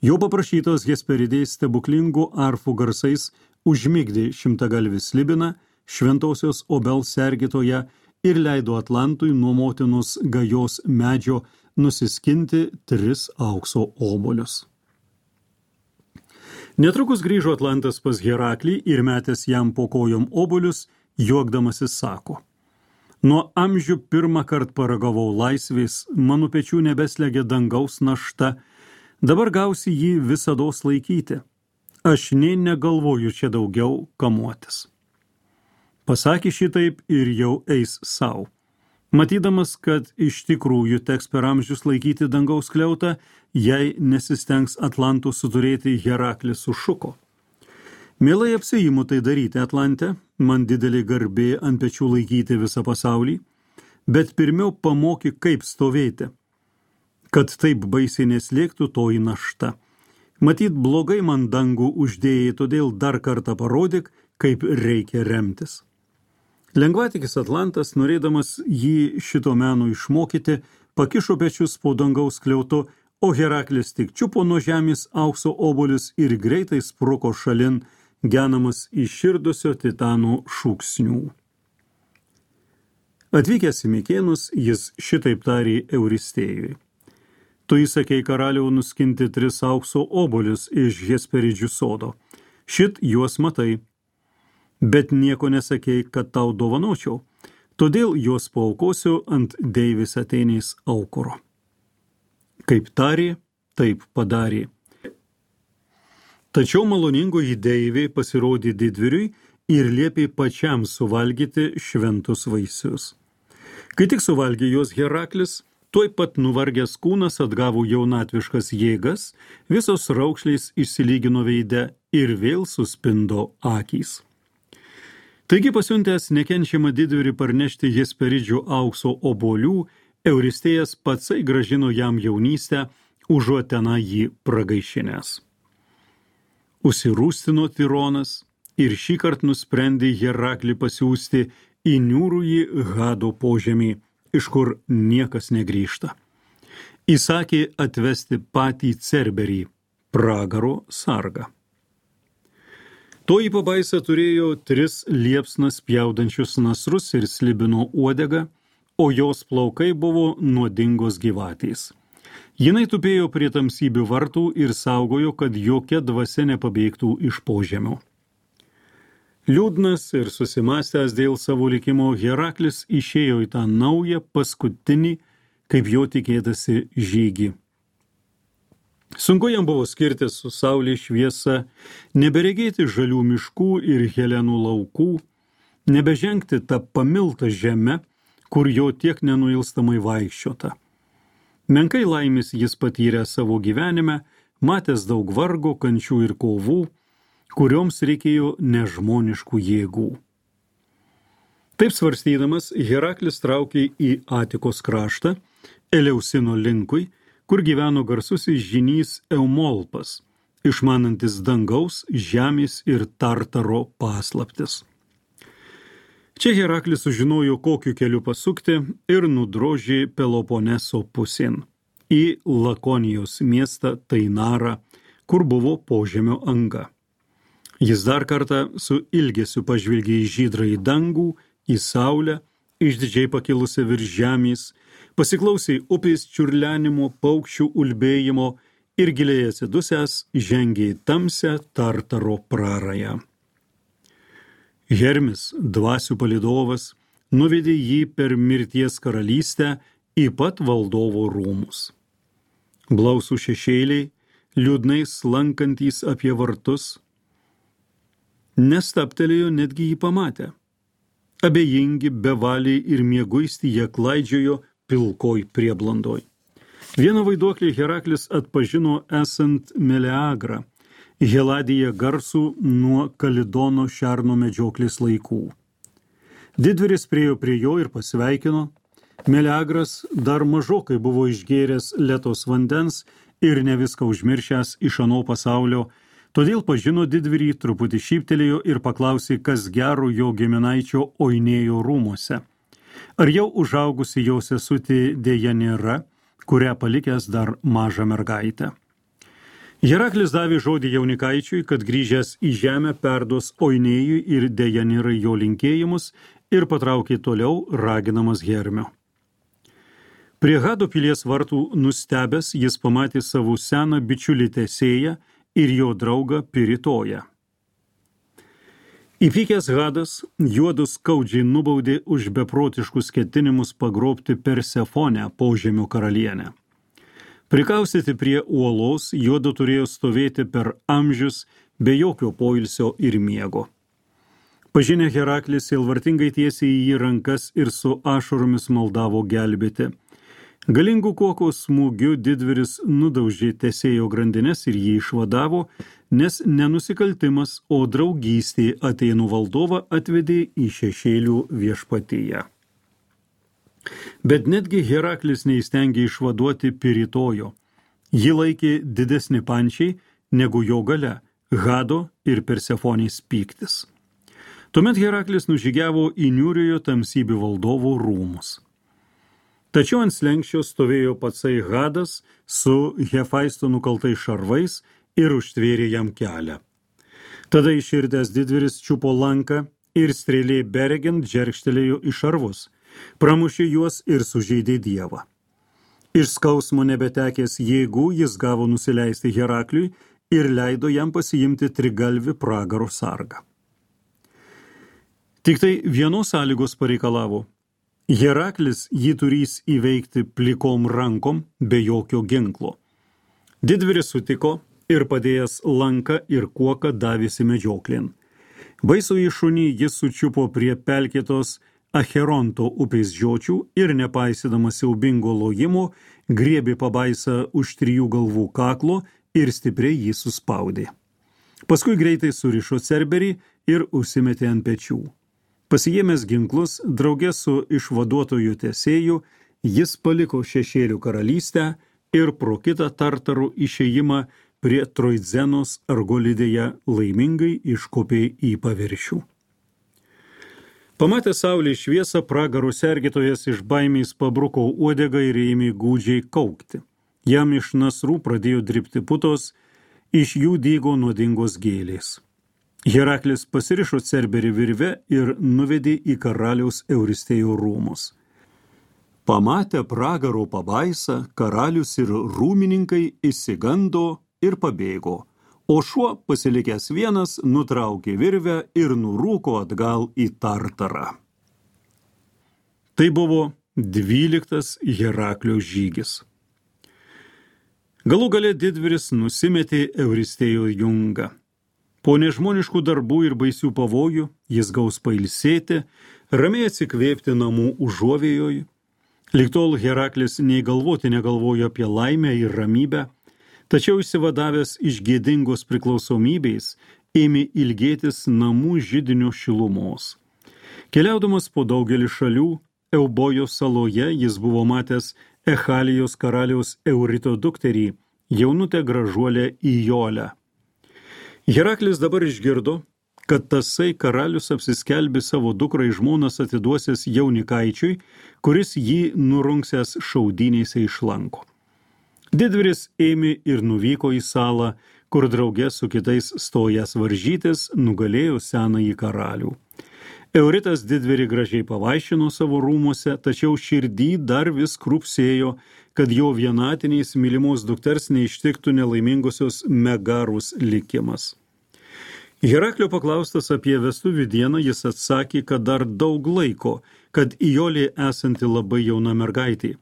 Jo paprašytos Hesperidės stebuklingų arfų garsais užmigdė šimtagalvį Slibiną, šventosios obels sergėtoją, ir leido Atlantui nuo motinos gajos medžio nusiskinti tris aukso obuolius. Netrukus grįžo Atlantas pas Heraklį ir metęs jam po kojom obuolius, juokdamasis sako: Nuo amžių pirmą kart paragavau laisvės, mano pečių nebeslegia dangaus našta, dabar gausi jį visados laikyti. Aš nė negalvoju čia daugiau kamuotis. Pasakė šitaip ir jau eis sau. Matydamas, kad iš tikrųjų teks per amžius laikyti dangaus skliautą, jei nesistengs Atlantų suturėti, Heraklis sušuko: Mielai apsiimu tai daryti, Atlante, man didelė garbė ant pečių laikyti visą pasaulį, bet pirmiau pamoky, kaip stovėti, kad taip baisiai neslėgtų toji našta. Matyt, blogai man dangų uždėjai, todėl dar kartą parodyk, kaip reikia remtis. Lengvatikis Atlantas, norėdamas jį šito meno išmokyti, pakišo pečius po dangaus skliautu, o Heraklis tik čiupo nuo žemės aukso obuolius ir greitai spruko šalin, genamas įširdusio Titano šūksnių. Atvykęs į Mikėnus, jis šitaip tarė Euristėjui: Tu įsakei karaliau nuskinti tris aukso obuolius iš Hesperidžių sodo. Šit juos matai. Bet nieko nesakei, kad tau dovanočiau, todėl juos paaukosiu ant deivės Atėnės aukuro. Kaip tarė, taip padarė. Tačiau maloningoji deivė pasirodė didvyriui ir liepė pačiam suvalgyti šventus vaisius. Kai tik suvalgė juos Heraklis, tuoj pat nuvargęs kūnas atgavo jaunatviškas jėgas, visos raukšlės išsilygino veide ir vėl suspindo akys. Taigi pasiuntęs nekenčiamą didvyrį parnešti Hesperidžių aukso obuolių, Euristėjas patsai gražino jam jaunystę, užuot tenai jį pragaišinęs. Užsirūstino Tironas ir šįkart nusprendė Heraklį pasiųsti į niūrųjį Hado požemį, iš kur niekas negrįžta. Įsakė atvesti patį Cerberį, pragaro sargą. Toji pabaisa turėjo tris liepsnas pjaudančius nasrus ir slibino uodegą, o jos plaukai buvo nuodingos gyvatės. Jinai tupėjo prie tamsybių vartų ir saugojo, kad jokia dvasia nepabėgtų iš požemio. Liūdnas ir susimąstęs dėl savo likimo, Heraklis išėjo į tą naują, paskutinį, kaip jo tikėtasi, žygį. Sunku jam buvo skirtis su saulės šviesa, neberegėti žalių miškų ir Helenų laukų, nebežengti tą pamiltą žemę, kur jo tiek nenuilstamai vaikščiota. Menkai laimės jis patyrė savo gyvenime, matęs daug vargo, kančių ir kovų, kurioms reikėjo nežmoniškų jėgų. Taip svarstydamas, Heraklis traukė į Atikos kraštą, Eleusino linkui, kur gyveno garsusis žynys Eumolpas, išmanantis dangaus, žemės ir Tartaro paslaptis. Čia Heraklis sužinojo, kokiu keliu pasukti ir nudrožė Peloponeso pusėn, į Lakonijos miestą Tainarą, kur buvo požemio anga. Jis dar kartą su ilgesiu pažvelgė į žydrąjį dangų, į saulę, išdidžiai pakilusią virš žemės, pasiklausė upės čiurlenimo, paukščių ulbėjimo ir giliai atsidusęs žengė į tamsią Tartaro prarają. Hermis, dvasių palydovas, nuvedė jį per mirties karalystę į pat valdovo rūmus. Blausų šešėliai, liūdnai slankantys apie vartus, nestaptelėjo netgi jį pamatę. Abejingi, bevaliai ir mieguisti jie klaidžiojo pilkoj prieblandoj. Vieną vaiduoklį Heraklis atpažino esant Meleagrą, Heladiją garsų nuo Kalidono šerno medžioklės laikų. Didvyris priėjo prie jo ir pasveikino. Meleagras dar mažokai buvo išgėręs Letos vandens ir ne viską užmiršęs iš ano pasaulio, todėl pažino didvyrį, truputį šyptelėjo ir paklausė, kas gero jo giminaičio Oinėjo rūmuose. Ar jau užaugusi jo sesutė dėja nėra, kurią palikęs dar mažą mergaitę. Heraklis davė žodį jaunikaičiui, kad grįžęs į žemę perduos Oinėjui ir Dejanirai jo linkėjimus ir patraukė toliau, raginamas Hermio. Prie Hado pilies vartų nustebęs, jis pamatė savo seną bičiulį Tesėją ir jo draugą Piritoją. Įpykęs Hadas juodus skaudžiai nubaudė už beprotiškus ketinimus pagrobti Persefonę, požemio karalienę. Prikaustyti prie uolos, juodu turėjo stovėti per amžius be jokio poilsio ir miego. Pažinę Heraklis sielvartingai tiesė į jį rankas ir su ašaromis maldavo gelbėti. Galingų kuokos smūgiu didvyris nudaužė Tesėjo grandines ir jį išvadavo, nes nenusikaltimas, o draugystė Atėnų valdovą atvedė į šešėlių viešpatiją. Bet netgi Heraklis neįstengė išvaduoti Piritojo. Jį laikė didesni pančiai negu jo galia, Hado ir Persefonės pyktis. Tuomet Heraklis nužygiavo į niūriojo tamsybių valdovo rūmus. Tačiau ant slenksčio stovėjo patsai Hadas su Hefaisto nukaltais šarvais ir užtvėrė jam kelią. Tada iširdęs didvyris čiupo lanką ir strėlė beregint džerkštelėjo į šarvus. Pramušė juos ir sužeidė Dievą. Iš skausmo nebetekęs jėgų jis gavo nusileisti Herakliui ir leido jam pasiimti trigalvį pragaro sargą. Tik tai vienos sąlygos pareikalavo. Heraklis jį turys įveikti plikom rankom be jokio ginklo. Didvyris sutiko ir padėjęs lanką ir kuoką davėsi medžioklėn. Baisųjį šunį jis sučiupo prie pelkėtos Acheronto upės žiočių ir nepaisydamas siaubingo lojimo, griebė pabaisą už trijų galvų kaklo ir stipriai jį suspaudė. Paskui greitai surišo cerberį ir užsimetė ant pečių. Pasiėmęs ginklus, drauge su išvaduotoju Tesėju, jis paliko šešėlių karalystę ir pro kitą Tartarų išėjimą prie Troidzenos Argolidėje laimingai iškopė į paviršių. Pamatė saulės šviesą, pragaro sergėtojas iš baimės pabruko uodegą ir ėmė gūdžiai kaukti. Jam iš nasrų pradėjo dribti putos, iš jų dygo nuodingos gėlės. Heraklis pasirišo cerberį virve ir nuvedė į karaliaus Euristėjo rūmus. Pamatę pragaro pabaisą, karalius ir rūmininkai išsigando ir pabėgo, o šuo, pasilikęs vienas, nutraukė virvę ir nurūko atgal į Tartarą. Tai buvo dvyliktas Heraklio žygis. Galų gale didvyris nusimetė Euristėjo jungą. Po nežmoniškų darbų ir baisių pavojų jis gaus pailsėti, ramiai atsikvėpti namų užuovėjoj. Lig tol Heraklis nei galvoti negalvojo apie laimę ir ramybę, tačiau išsivadavęs iš gėdingos priklausomybės ėmė ilgėtis namų židinio šilumos. Keliaudamas po daugelį šalių, Eubojos saloje jis buvo matęs Echalijos karaliaus Eurito dukterį, jaunutę gražuolę Ijolę. Heraklis dabar išgirdo, kad tasai karalius apsiskelbė savo dukrą į žmonas atiduosęs jaunikaičiui, kuris jį nurungsęs šaudynėse iš lanko. Didvyris ėmė ir nuvyko į salą, kur drauge su kitais stojęs varžytis nugalėjo senąjį karalių. Euritas didvyrį gražiai pavaišino savo rūmuose, tačiau širdį dar vis krūpsėjo, kad jo vienatiniais mylimos dukters neištiktų nelaimingosios Megarus likimas. Heraklio paklaustas apie vestuvių dieną, jis atsakė, kad dar daug laiko, kad Ijolė esanti labai jauna mergaitė.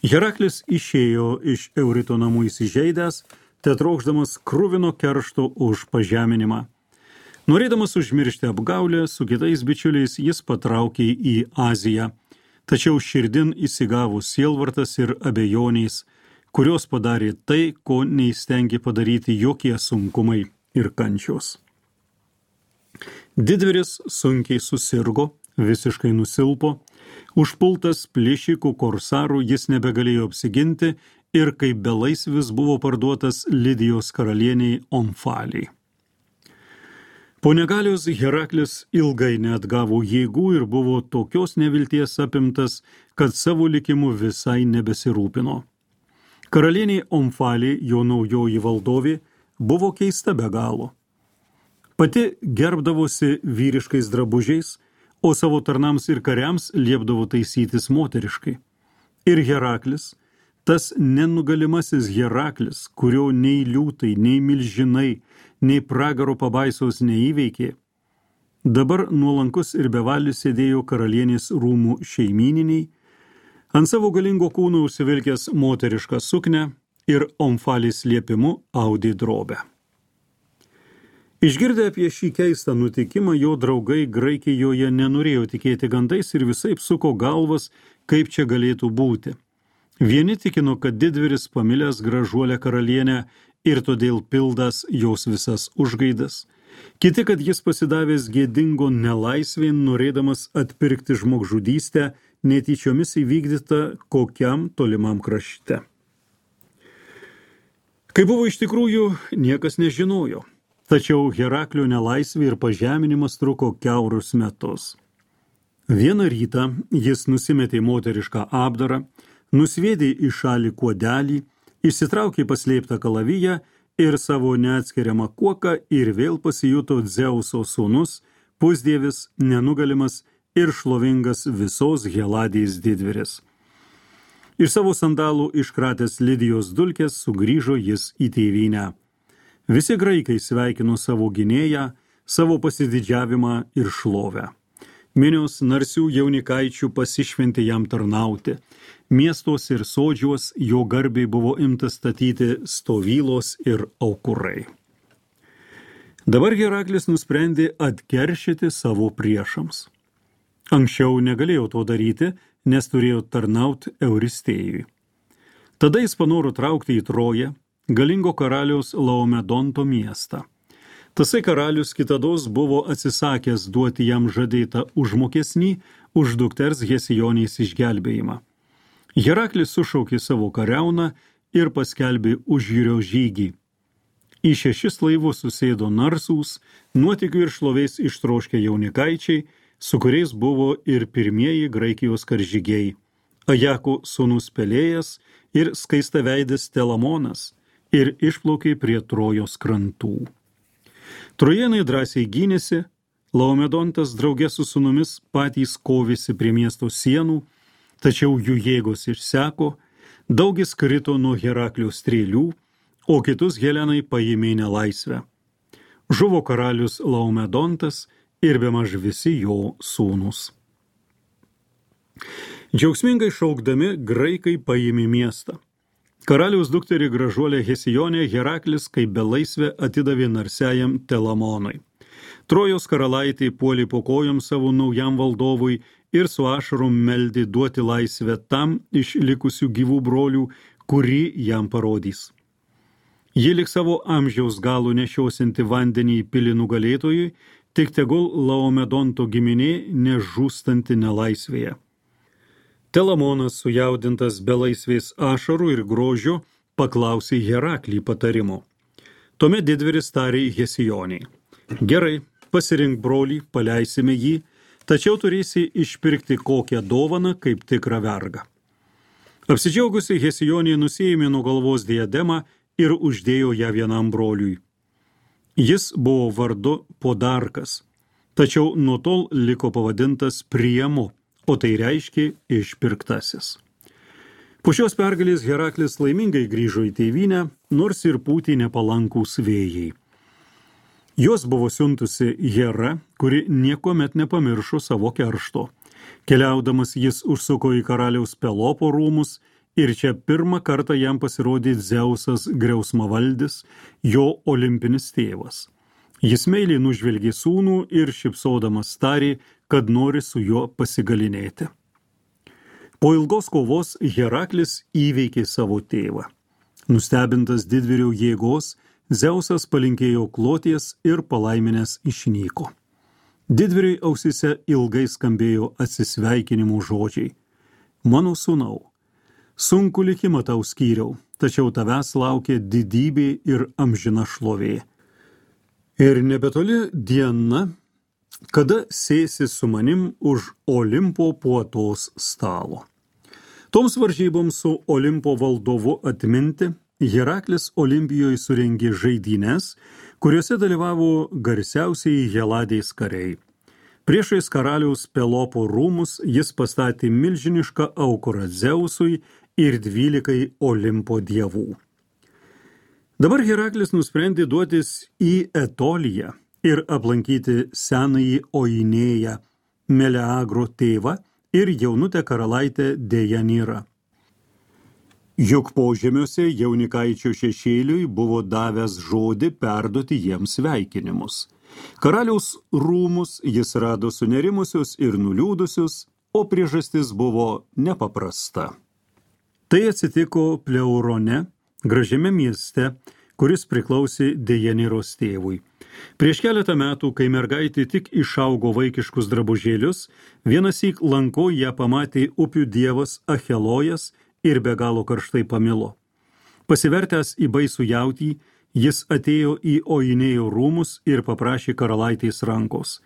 Heraklis išėjo iš Eurito namų įsižeidęs, tetrokšdamas kruvino keršto už pažeminimą. Norėdamas užmiršti apgaulę, su kitais bičiuliais jis patraukė į Aziją, tačiau širdin įsigavo sielvartas ir abejoniais, kurios padarė tai, ko neįstengė padaryti jokie sunkumai ir kančios. Didvyris sunkiai susirgo, visiškai nusilpo, užpultas plėšikų korsarų jis nebegalėjo apsiginti ir kaip belaisvis buvo parduotas Lidijos karalieniai Omfaliai. Po negalios Heraklis ilgai neatgavo jėgų ir buvo tokios nevilties apimtas, kad savo likimu visai nebesirūpino. Karalieniai Omfaliai, jo naujoji valdovė, buvo keista be galo. Pati gerbdavosi vyriškais drabužiais, o savo tarnams ir kariams liepdavo taisytis moteriškai. Ir Heraklis, tas nenugalimasis Heraklis, kurio nei liūtai, nei milžinai, nei pragaro pabaisos neįveikė, dabar nuolankus ir bevalis sėdėjo karalienės rūmų šeimyniniai, ant savo galingo kūno užsivilkęs moterišką suknę ir Omfalis liepimu audė drobę. Išgirdę apie šį keistą nutikimą, jo draugai Graikijoje nenorėjo tikėti gandais ir visaip suko galvas, kaip čia galėtų būti. Vieni tikino, kad didvyris pamilęs gražuolę karalienę ir todėl pildas jos visas užgaidas. Kiti, kad jis pasidavęs gėdingo nelaisvėn, norėdamas atpirkti žmogžudystę, netyčiomis įvykdyta kokiam tolimam krašte. Kaip buvo iš tikrųjų, niekas nežinojo. Tačiau Heraklio nelaisvė ir pažeminimas truko kiaurus metus. Vieną rytą jis nusimetė moterišką apdarą, nusviedė į šalį kuodelį, išsitraukė paslėptą kalaviją ir savo neatskiriamą kuoką ir vėl pasijuto Dzeuso sūnus, pusdievis, nenugalimas ir šlovingas visos Heladijos didvyris. Iš savo sandalų iškratęs Lidijos dulkes sugrįžo jis į tėvynę. Visi graikai sveikino savo gynėją, savo pasididžiavimą ir šlovę. Minios narsių jaunikaičių pasišventė jam tarnauti. Miestos ir sodžiuos jo garbiai buvo imta statyti stovylos ir aukurai. Dabar Heraklis nusprendė atkeršyti savo priešams. Anksčiau negalėjo to daryti, nes turėjo tarnauti Euristėjui. Tada jis panoro traukti į Troją, galingo karaliaus Laomedonto miestą. Tasai karalius kitados buvo atsisakęs duoti jam žadėtą užmokesnį už dukters Hesijonės išgelbėjimą. Heraklis sušaukė savo kariauną ir paskelbė užjūrio žygį. Į šešis laivus susėdo narsūs, nuotykių ir šlovės ištroškę jaunikaičiai, su kuriais buvo ir pirmieji Graikijos karžygiai, Ajako sūnus Pelėjas ir skaistaveidis Telamonas, ir išplaukė prie Trojos krantų. Trojenai drąsiai gynėsi, Laomedontas drauge su sūnumis patys kovėsi prie miesto sienų, tačiau jų jėgos išseko, daugis krito nuo Heraklio strėlių, o kitus Helenai paėmė nelaisvę. Žuvo karalius Laomedontas ir bemaž visi jo sūnus. Džiaugsmingai šaukdami, graikai paėmė miestą. Karaliaus dukterį gražuolę Hesijonę Heraklis kaip belaisvę atidavė narsiajam Telamonui. Trojos karalaitė puolė po kojom savo naujam valdovui ir su ašarom meldė duoti laisvę tam iš likusių gyvų brolių, kurį jam parodys. Ji lik savo amžiaus galo nešiosinti vandenį į pilį nugalėtojui, tik tegul Laomedonto giminė nežūstanti nelaisvėje. Telamonas, sujaudintas belaisvės ašarų ir grožio, paklausė Heraklį patarimo. Tuomet didvyris tarė Hesijoniai: Gerai, pasirink brolį, paleisime jį, tačiau turėsi išpirkti kokią dovaną kaip tikrą vergą. Apsidžiaugusi Hesijonė nusiėmė nuo galvos diademą ir uždėjo ją vienam broliui. Jis buvo vardu Podarkas, tačiau nuo tol liko pavadintas Priemu, o tai reiškia išpirktasis. Po šios pergalės Heraklis laimingai grįžo į tėvynę, nors ir pūtė nepalankūs vėjai. Jos buvo siuntusi Hera, kuri niekuomet nepamiršo savo keršto. Keliaudamas jis užsuko į karaliaus Pelopo rūmus ir čia pirmą kartą jam pasirodė Dzeusas griausmavaldis, jo olimpinis tėvas. Jis meiliai nužvelgė sūnų ir šypsodamas tarė, kad nori su juo pasigalinėti. Po ilgos kovos Heraklis įveikė savo tėvą. Nustebintas didvyrio jėgos, Dzeusas palinkėjo kloties ir palaiminęs išnyko. Didvyriui ausyse ilgai skambėjo atsisveikinimo žodžiai. Mano sūnau, sunku likimą tau skyriau, tačiau tavęs laukia didybė ir amžina šlovė. Ir nebetoli diena, kada sėsi su manim už Olimpo puotos stalo. Toms varžyboms su Olimpo valdovu atminti, Heraklis Olimpijoje surengė žaidynes, kuriuose dalyvavo garsiausiai Heladės kariai. Priešais karaliaus Pelopo rūmus jis pastatė milžinišką aukurą Dzeusui ir dvylikai Olimpo dievų. Dabar Heraklis nusprendė duotis į Etoliją ir aplankyti senąjį Oinėją, Meleagro tėvą ir jaunutę karalaitę Dejanirą. Juk požemiuose jaunikaičio šešėliui buvo davęs žodį perduoti jiems sveikinimus. Karaliaus rūmus jis rado sunerimusius ir nuliūdusius, o priežastis buvo nepaprasta. Tai atsitiko Pleurone, gražiame mieste, kuris priklausė Dejaniros tėvui. Prieš keletą metų, kai mergaitė tik išaugo vaikiškus drabužėlius, vienąsyk lanko ją pamatė upių dievas Achelojas ir be galo karštai pamilo. Pasivertęs į baisų jautį, jis atėjo į Oinėjo rūmus ir paprašė karalaitės rankos.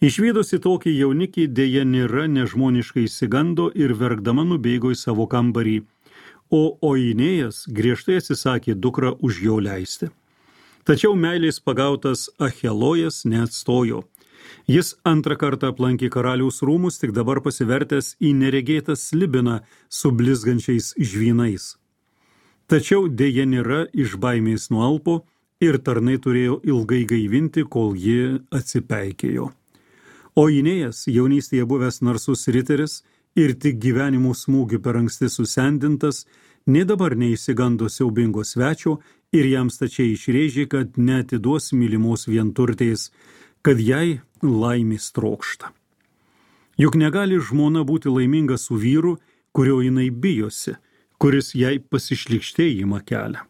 Išvydusi tokį jaunikį, Dejanira nežmoniškai išsigando ir verkdama nubėgo į savo kambarį, o Oinėjas griežtai atsisakė dukrą už jo leisti. Tačiau meilės pagautas Achelojas neatstojo. Jis antrą kartą aplankė karaliaus rūmus, tik dabar pasivertęs į neregėtą slibiną su blizgančiais žvynais. Tačiau Dejanira iš baimės nualpo ir tarnai turėjo ilgai gaivinti, kol ji atsipeikėjo. Oinėjas, jaunystėje buvęs narsus riteris ir tik gyvenimo smūgių per anksti susendintas, nė dabar neišsigando siaubingo svečio ir jam stačiai išrėžė, kad neatiduos mylimos vienturtės, kad jai laimės trokšta. Juk negali žmona būti laiminga su vyru, kurio jinai bijosi, kuris jai pasišlykštėjimą kelia.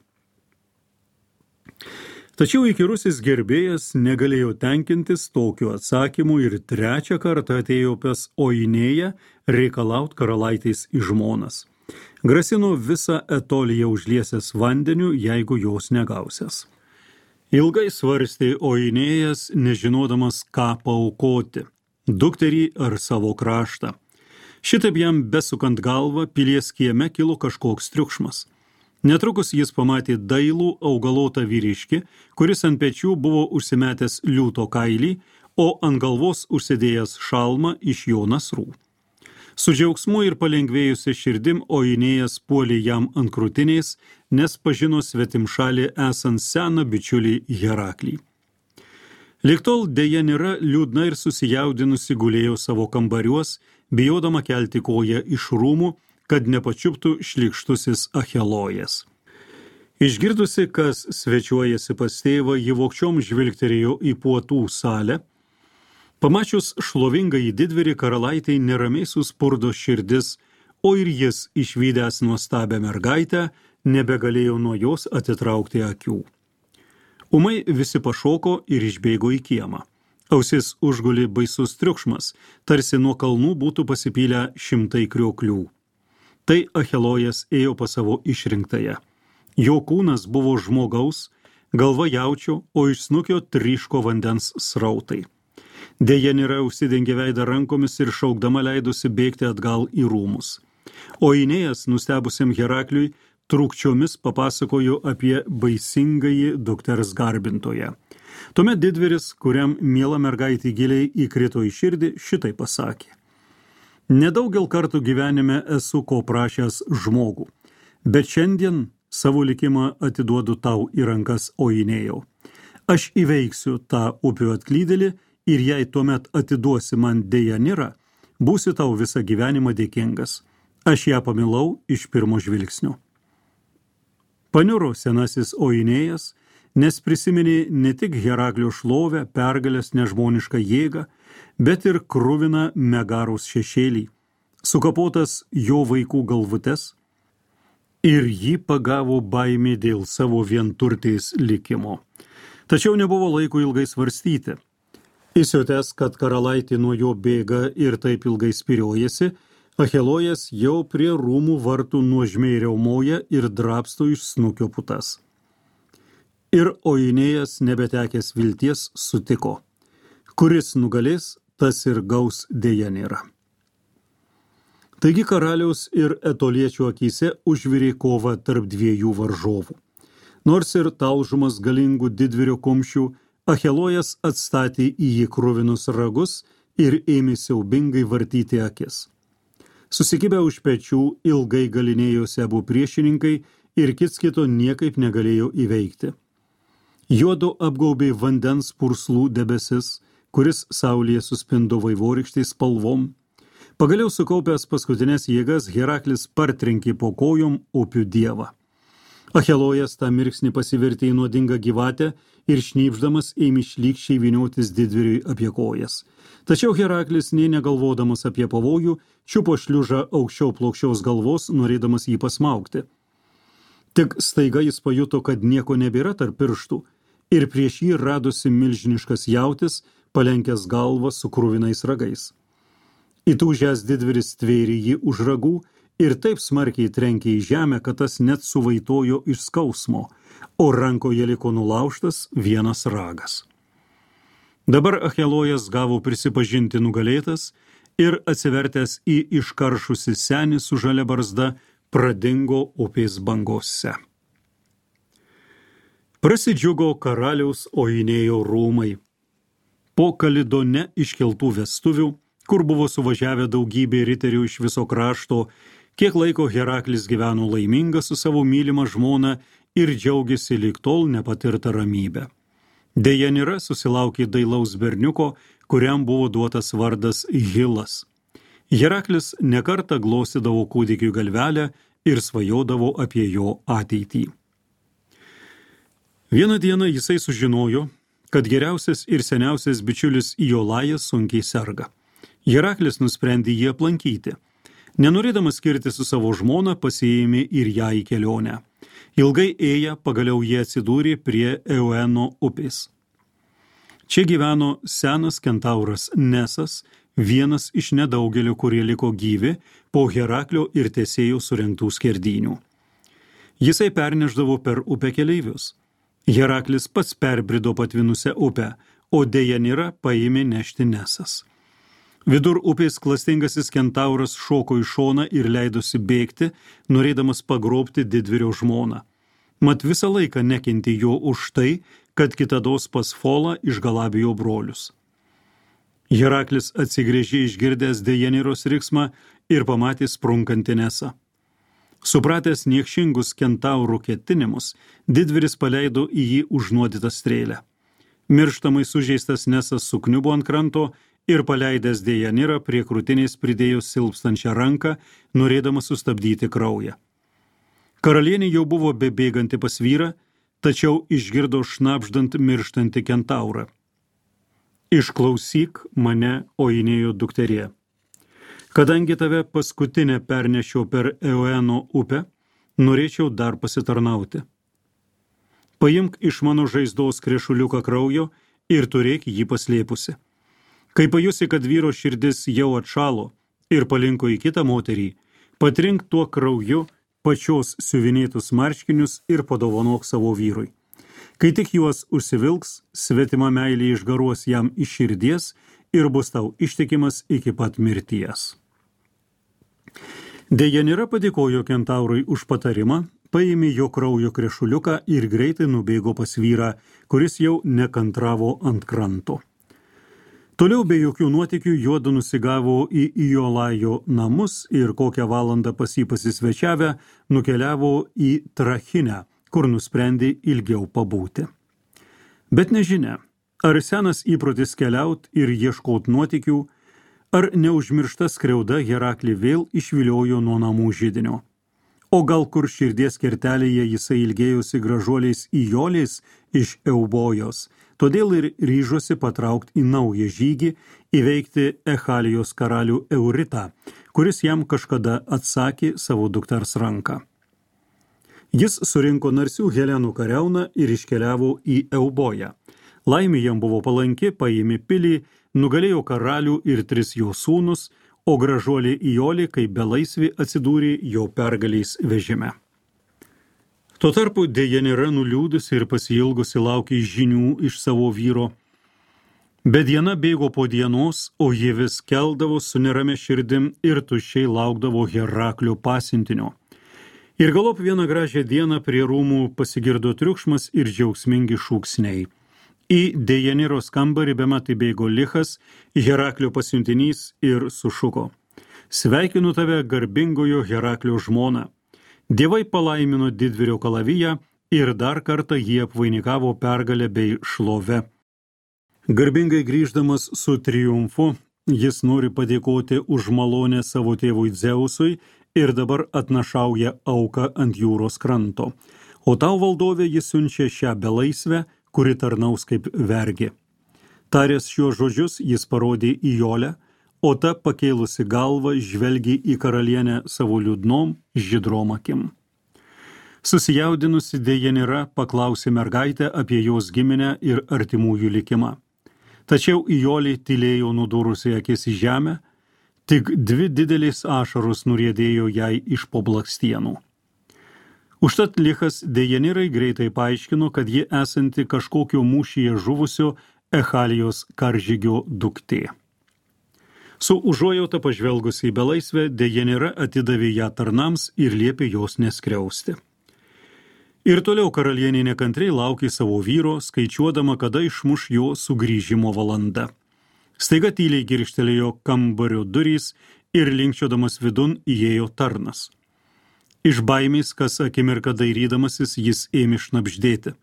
Tačiau įkyrusis gerbėjas negalėjo tenkintis tokiu atsakymu ir trečią kartą atėjo pas Oinėją reikalaut karalaitės į žmonas. Grasino visą Etoliją užliesęs vandeniu, jeigu jos negausias. Ilgai svarstė Oinėjas, nežinodamas, ką paaukoti – dukterį ar savo kraštą. Šitaip jam besukant galvą, pilies kieme kilo kažkoks triukšmas. Netrukus jis pamatė dailų augalotą vyriškį, kuris ant pečių buvo užsimetęs liūto kailį, o ant galvos užsidėjęs šalmą iš jo nasrų. Su džiaugsmu ir palengvėjusia širdim Oinėjas puolė jam ant krūtinės, nes pažino svetimšalį esant seną bičiulį Heraklį. Lig tol Dejanira liūdna ir susijaudinusi gulėjo savo kambariuos, bijodama kelti koją iš rūmų, kad nepačiuptų šlykštusis Achelojas. Išgirdusi, kas svečiuojasi pas tėvą, ji vogčiom žvilgterėjo į puotų salę, Pamačius šlovingąjį didvyrį, karalaitei neramiai suspurdo širdis, o ir jis, išvydęs nuostabią mergaitę, nebegalėjo nuo jos atitraukti akių. Ūmai visi pašoko ir išbėgo į kiemą. Ausis užguli baisus triukšmas, tarsi nuo kalnų būtų pasipylę šimtai krioklių. Tai Achelojas ėjo pas savo išrinktąją. Jo kūnas buvo žmogaus, galva jaučio, o iš snukio tryško vandens srautai. Dejanira užsidengė veidą rankomis ir šaukdama leidosi bėgti atgal į rūmus. O Ainėjas, nustebusiam Herakliui, trūkčiomis papasakojo apie baisingąjį dukters garbintoją. Tuomet didvyris, kuriam miela mergaitė giliai įkrito į širdį, šitai pasakė: Nedaugel kartų gyvenime esu ko prašęs žmogų, bet šiandien savo likimą atiduodu tau į rankas, Ainėjau. Aš įveiksiu tą upių atklydėlį ir jei tuomet atiduosi man Dejanirą, būsi tau visą gyvenimą dėkingas. Aš ją pamilau iš pirmo žvilgsnio. Paniuro senasis Ainėjas, nes prisiminė ne tik Heraklio šlovę, pergalės, nežmonišką jėgą, bet ir kruviną Megaros šešėlį, sukapotas jo vaikų galvutes, ir jį pagavo baimė dėl savo vienturtės likimo. Tačiau nebuvo laiko ilgai svarstyti. Įsiutęs, kad karalaitė nuo jo bėga ir taip ilgai spiriojasi, Achelojas jau prie rūmų vartų nuožmiai riaumoja ir drabsto iš snukio putas. Ir Ainėjas, nebetekęs vilties, sutiko: kuris nugalės, tas ir gaus Dejanirą. Taigi karaliaus ir etoliečio akyse užvirė kova tarp dviejų varžovų. Nors ir talžumas galingų didvyrio kumščių, Achelojas atstatė į jį kruvinus ragus ir ėmė siaubingai vartyti akis. Susikibę už pečių ilgai galinėjosi abu priešininkai ir kits kito niekaip negalėjo įveikti. Juodu apgaubė vandens purslų debesis, kuris saulėje suspindo vaivorykštės spalvom. Pagaliau sukaupęs paskutinės jėgas, Heraklis partrenkė po kojom upių dievą. Achelojas tą mirksnį pasivertė į nuodingą gyvatę ir šnypšdamas ėmė šlykščiai vyniotis didvyriui apie kojas. Tačiau Heraklis, nė negalvodamas apie pavojų, čiupo šliužą aukščiau plokščiaus galvos, norėdamas jį pasmaugti. Tik staiga jis pajuto, kad nieko nebėra tarp pirštų, ir prieš jį radosi milžiniškas jautis, palenkęs galvą su kruvinais ragais. Įtūžęs didvyris tvėrė jį už ragų ir taip smarkiai trenkė į žemę, kad tas net suvaitojo iš skausmo, o rankoje liko nulaužtas vienas ragas. Dabar Achelojas gavo prisipažinti nugalėtas ir atsivertęs į iškaršusi senį su žalia barzda, pradingo upės bangose. Prasidžiugo karaliaus Ainėjo rūmai. Po Kalidone iškeltų vestuvių, kur buvo suvažiavę daugybė riterių iš viso krašto, kiek laiko Heraklis gyveno laimingas su savo mylima žmona ir džiaugiasi lyg tol nepatirta ramybė. Dejanira susilaukė dailaus berniuko, kuriam buvo duotas vardas Hilas. Heraklis nekartą glostydavo kūdikiui galvelę ir svajodavo apie jo ateitį. Vieną dieną jisai sužinojo, kad geriausias ir seniausias bičiulis Iolajas sunkiai serga. Heraklis nusprendė jį aplankyti. Nenorėdamas skirti su savo žmona, pasiėmė ir ją į kelionę. Ilgai ėję, pagaliau jie atsidūrė prie Eueno upės. Čia gyveno senas kentauras Nesas, vienas iš nedaugelio, kurie liko gyvi po Heraklio ir Tesėjo surengtų skerdynių. Jisai perneždavo per upę keleivius. Heraklis pats perbrido patvinusią upę, o Dejanirą paėmė nešti Nesas. Vidur upės klastingasis kentauras šoko į šoną ir leidosi bėgti, norėdamas pagrobti didvyrio žmoną. Mat visą laiką nekentė jo už tai, kad kitados pas Folą išgalabijo brolius. Heraklis atsigręžė išgirdęs Dejaniros riksmą ir pamatė sprunkantį Nesą. Supratęs niekšingus kentaurų ketinimus, didvyris paleido į jį užnuodytą strėlę. Mirštamai sužeistas Nesas sukniubo ant kranto ir paleidęs Dejanirą prie krūtinės pridėjo silpstančią ranką, norėdamas sustabdyti kraują. Karalienė jau buvo bebėganti pas vyrą, tačiau išgirdo šnabždant mirštantį kentaurą. Išklausyk mane, Oinėjo dukterie. Kadangi tave paskutinę pernešiau per Eoeno upę, norėčiau dar pasitarnauti. Paimk iš mano žaizdos krešuliuką kraujo ir turėk jį paslėpusi. Kai pajusi, kad vyro širdis jau atšalo ir palinko į kitą moterį, patrink tuo krauju pačios siuvinėtus marškinius ir padovanok savo vyrui. Kai tik juos užsivilks, svetima meilė išgaruos jam iš širdies ir bus tau ištikimas iki pat mirties. Dejanira padėkojo kentaurui už patarimą, paėmė jo kraujo krešuliuką ir greitai nubėgo pas vyrą, kuris jau nekantravo ant kranto. Toliau be jokių nuotykių juodu nusigavo į Iolajo namus ir kokią valandą pas jį pasisvečiavę nukeliavo į Trachinę, kur nusprendė ilgiau pabūti. Bet nežinia, ar senas įprotis keliaut ir ieškot nuotykių, ar neužmiršta skriauda Heraklį vėl išviliojo nuo namų židinio. O gal kur širdies kertelėje jisai ilgėjosi gražuoliais Ijolės iš Eubojos, todėl ir ryžosi patraukti į naują žygį, įveikti Echalijos karalių Euritą, kuris jam kažkada atsakė savo dukters ranką. Jis surinko narsių Helenų kariauną ir iškeliavo į Euboją. Laimė jam buvo palanki, paėmė pilį, nugalėjo karalių ir tris jo sūnus, o gražuolė Ijolė kaip belaisvė atsidūrė jo pergaliais vežime. Tuo tarpu Dejanira nuliūdusi ir pasiilgusi laukė žinių iš savo vyro. Bet diena bėgo po dienos, o ji vis keldavo su nerame širdim ir tuščiai laukdavo Heraklio pasiuntinio. Ir galop vieną gražią dieną prie rūmų pasigirdo triukšmas ir džiaugsmingi šūksniai. Į Dejaniros kambarį bemat įbėgo Lichas, Heraklio pasiuntinys, ir sušuko: Sveikinu tave, garbingojo Heraklio žmona. Dievai palaimino didvyrio kalaviją ir dar kartą jį apvainikavo pergalę bei šlove. Garbingai grįždamas su triumfu, jis nori padėkoti už malonę savo tėvui Dzeusui ir dabar atnašauja auką ant jūros kranto. O tau, valdovė, jis siunčia šią belaisvę, kuri tarnaus kaip vergė. Taręs šiuos žodžius, jis parodė Ijolę, o ta pakėlusi galvą žvelgė į karalienę savo liūdnom, žydrom akim. Susijaudinusi Dejanira paklausė mergaitę apie jos giminę ir artimųjų likimą. Tačiau Ijolė tylėjo nudūrusi akis į žemę, tik dvi didelės ašaros nuriedėjo jai iš po blakstienų. Užtat Lichas Dejanirai greitai paaiškino, kad ji esanti kažkokio mūšyje žuvusio Echalijos karžygio duktė. Su užuojauta pažvelgusi į belaisvę, Dejanira atidavė ją tarnams ir liepė jos neskriausti. Ir toliau karalienė nekantriai laukė savo vyro, skaičiuodama, kada išmuš jo sugrįžimo valanda. Staiga tyliai girkštelėjo kambario durys ir linkčiodamas vidun įėjo tarnas. Iš baimės, kas akimirką dairydamasis, jis ėmė šnabždėti: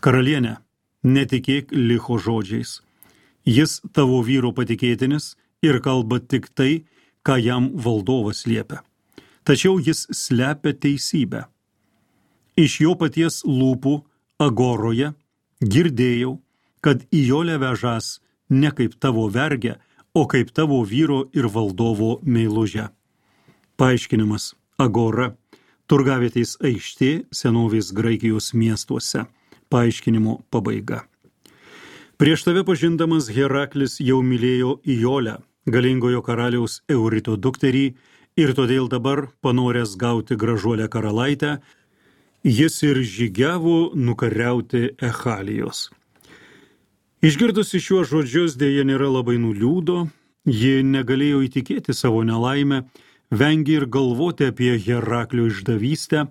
Karalienė, netikėk Licho žodžiais. Jis tavo vyro patikėtinis ir kalba tik tai, ką jam valdovas liepia. Tačiau jis slepia teisybę. Iš jo paties lūpų Agoroje girdėjau, kad Ijolė vežas ne kaip tavo vergė, o kaip tavo vyro ir valdovo meilužę. Paaiškinimas: Agora, turgavietės aikštė senovės Graikijos miestuose. Paaiškinimo pabaiga. Prieš tave pažindamas Heraklis jau mylėjo Ijolę, galingojo karaliaus Eurito dukterį, ir todėl dabar, panoręs gauti gražuolę karalaitę, jis ir žygiavo nukariauti Echalijos. Išgirdusi šiuos žodžius, Dejanira labai nuliūdo, ji negalėjo įtikėti savo nelaimę, vengė ir galvoti apie Heraklio išdavystę,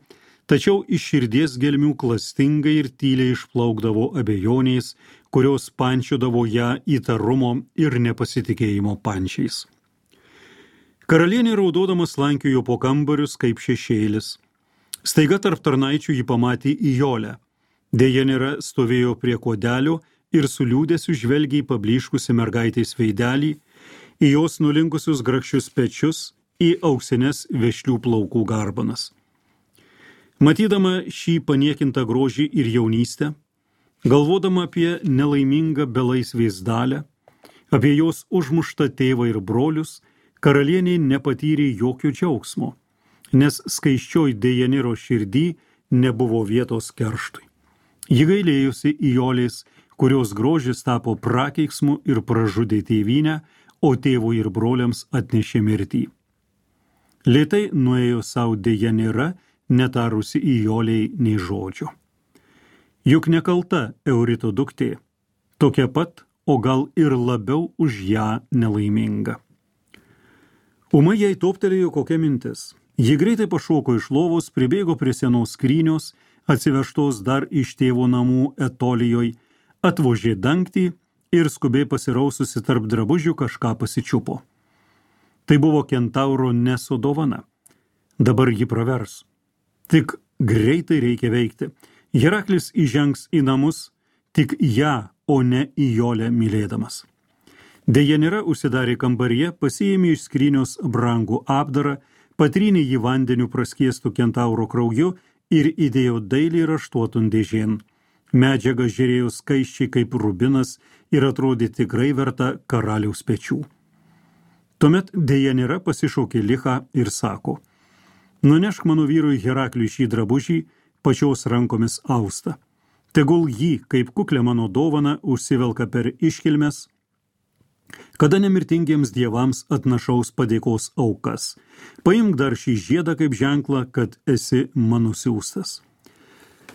tačiau iš širdies gelmių klastingai ir tyliai išplaukdavo abejonės, kurios pančiodavo ją įtarumo ir nepasitikėjimo pančiais. Karalienė raudodama slankiojo po kambarius kaip šešėlis. Staiga tarp tarnaičių ji pamatė Ijolę. Dejanira stovėjo prie kodelio ir su liūdesiu žvelgė į pablyškusi mergaitės veidelį, į jos nulinkusius grakščius pečius, į auksines vešlių plaukų garbanas. Matydama šį paniekintą grožį ir jaunystę, Galvodama apie nelaimingą belaisvės dalę, apie jos užmuštą tėvą ir brolius, karalienė nepatyrė jokio džiaugsmo, nes skaiščioj Dejaniro širdį nebuvo vietos kerštui. Ji gailėjusi Ijolės, kurios grožis tapo prakeiksmu ir pražudė tėvynę, o tėvui ir broliams atnešė mirtį. Lėtai nuėjo savo Dejanira, netarusi Ijolei nei žodžio. Juk nekalta Eurito duktė, tokia pat, o gal ir labiau už ją nelaiminga. Ūmai jai toptelėjo kokia mintis. Ji greitai pašoko iš lovos, pribėgo prie senos skrynios, atsivežtos dar iš tėvo namų Etolijoj, atvožė dangtį ir skubiai pasiraususi tarp drabužių kažką pasičiupo. Tai buvo kentauro Neso dovana. Dabar ji pravers. Tik greitai reikia veikti. Heraklis įžengs į namus, tik ją, o ne Ijolę mylėdamas. Dejanira užsidarė kambaryje, pasiėmė iš skrynios brangų apdarą, patrynė jį vandeniu praskiestų kentauro krauju ir įdėjo dailiai raštuotun dėžėn. Medžiaga žiūrėjo skaisčiai kaip rubinas ir atrodė tikrai verta karaliaus pečių. Tuomet Dejanira pasišaukė Lichą ir sako: nunešk mano vyrui Herakliui šį drabužį, pačios rankomis austą. Tegul jį, kaip kuklę mano dovaną, užsivelka per iškilmes, kada nemirtingiems dievams atnašaus padėkos aukas. Paimk dar šį žiedą kaip ženklą, kad esi mano siųstas.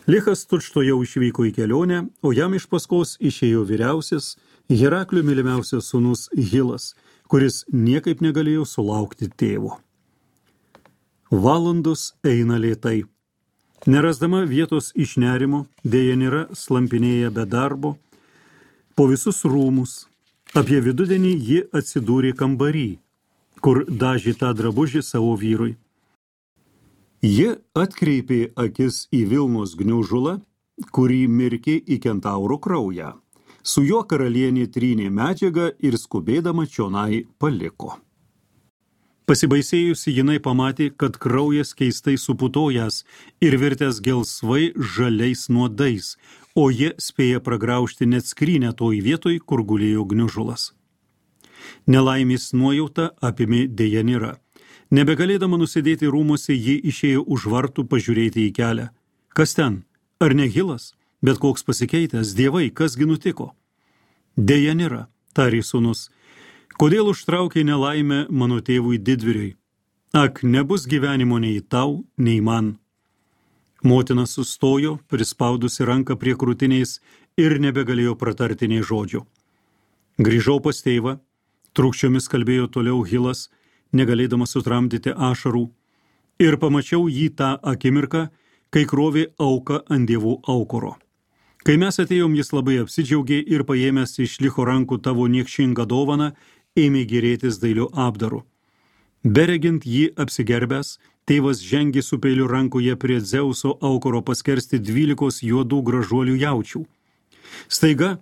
Lichas tučtuojau išvyko į kelionę, o jam iš paskos išėjo vyriausias, Heraklio mylimiausias sūnus Hilas, kuris niekaip negalėjo sulaukti tėvo. Valandos eina lėtai. Nerasdama vietos iš nerimo, Dejanira slampinėja be darbo po visus rūmus. Apie vidudienį ji atsidūrė kambarį, kur dažė tą drabužį savo vyrui. Ji atkreipė akis į Vilnos gniužulą, kurį mirkė į kentauro kraują. Su juo karalienė trynė medžiagą ir skubėdama čionai paliko. Pasibaisėjusi jinai pamatė, kad kraujas keistai suputojęs ir virtęs gelsvai žaliais nuodais, o jie spėja pragraužti net skrynę toj vietoj, kur gulėjo gniužulas. Nelaimės nuojauta apėmė Dejanira. Nebegalėdama nusidėti rūmuose, ji išėjo už vartų pažiūrėti į kelią. Kas ten? Ar ne Hilas? Bet koks pasikeitęs, dievai, kasgi nutiko? Dejanira, tarė sūnus, kodėl užtraukė nelaimę mano tėvui didvyriui? Ak, nebus gyvenimo nei tau, nei man. Motina sustojo, prispaudusi ranką prie krūtiniais ir nebegalėjo pratarti nei žodžio. Grįžau pas tėvą, trūkščiomis kalbėjo toliau Hilas, negalėdamas sutramdyti ašarų, ir pamačiau jį tą akimirką, kai krovė auką ant dievų aukuro. Kai mes atėjom, jis labai apsidžiaugė ir paėmęs iš Licho rankų tavo niekšingą dovaną, ėmė gėrėtis dailiu apdaru. Beregint jį apsigerbęs, tėvas žengė su peiliu rankoje prie Dzeuso aukuro paskersti dvylikos juodų gražuolių jaučių. Staiga,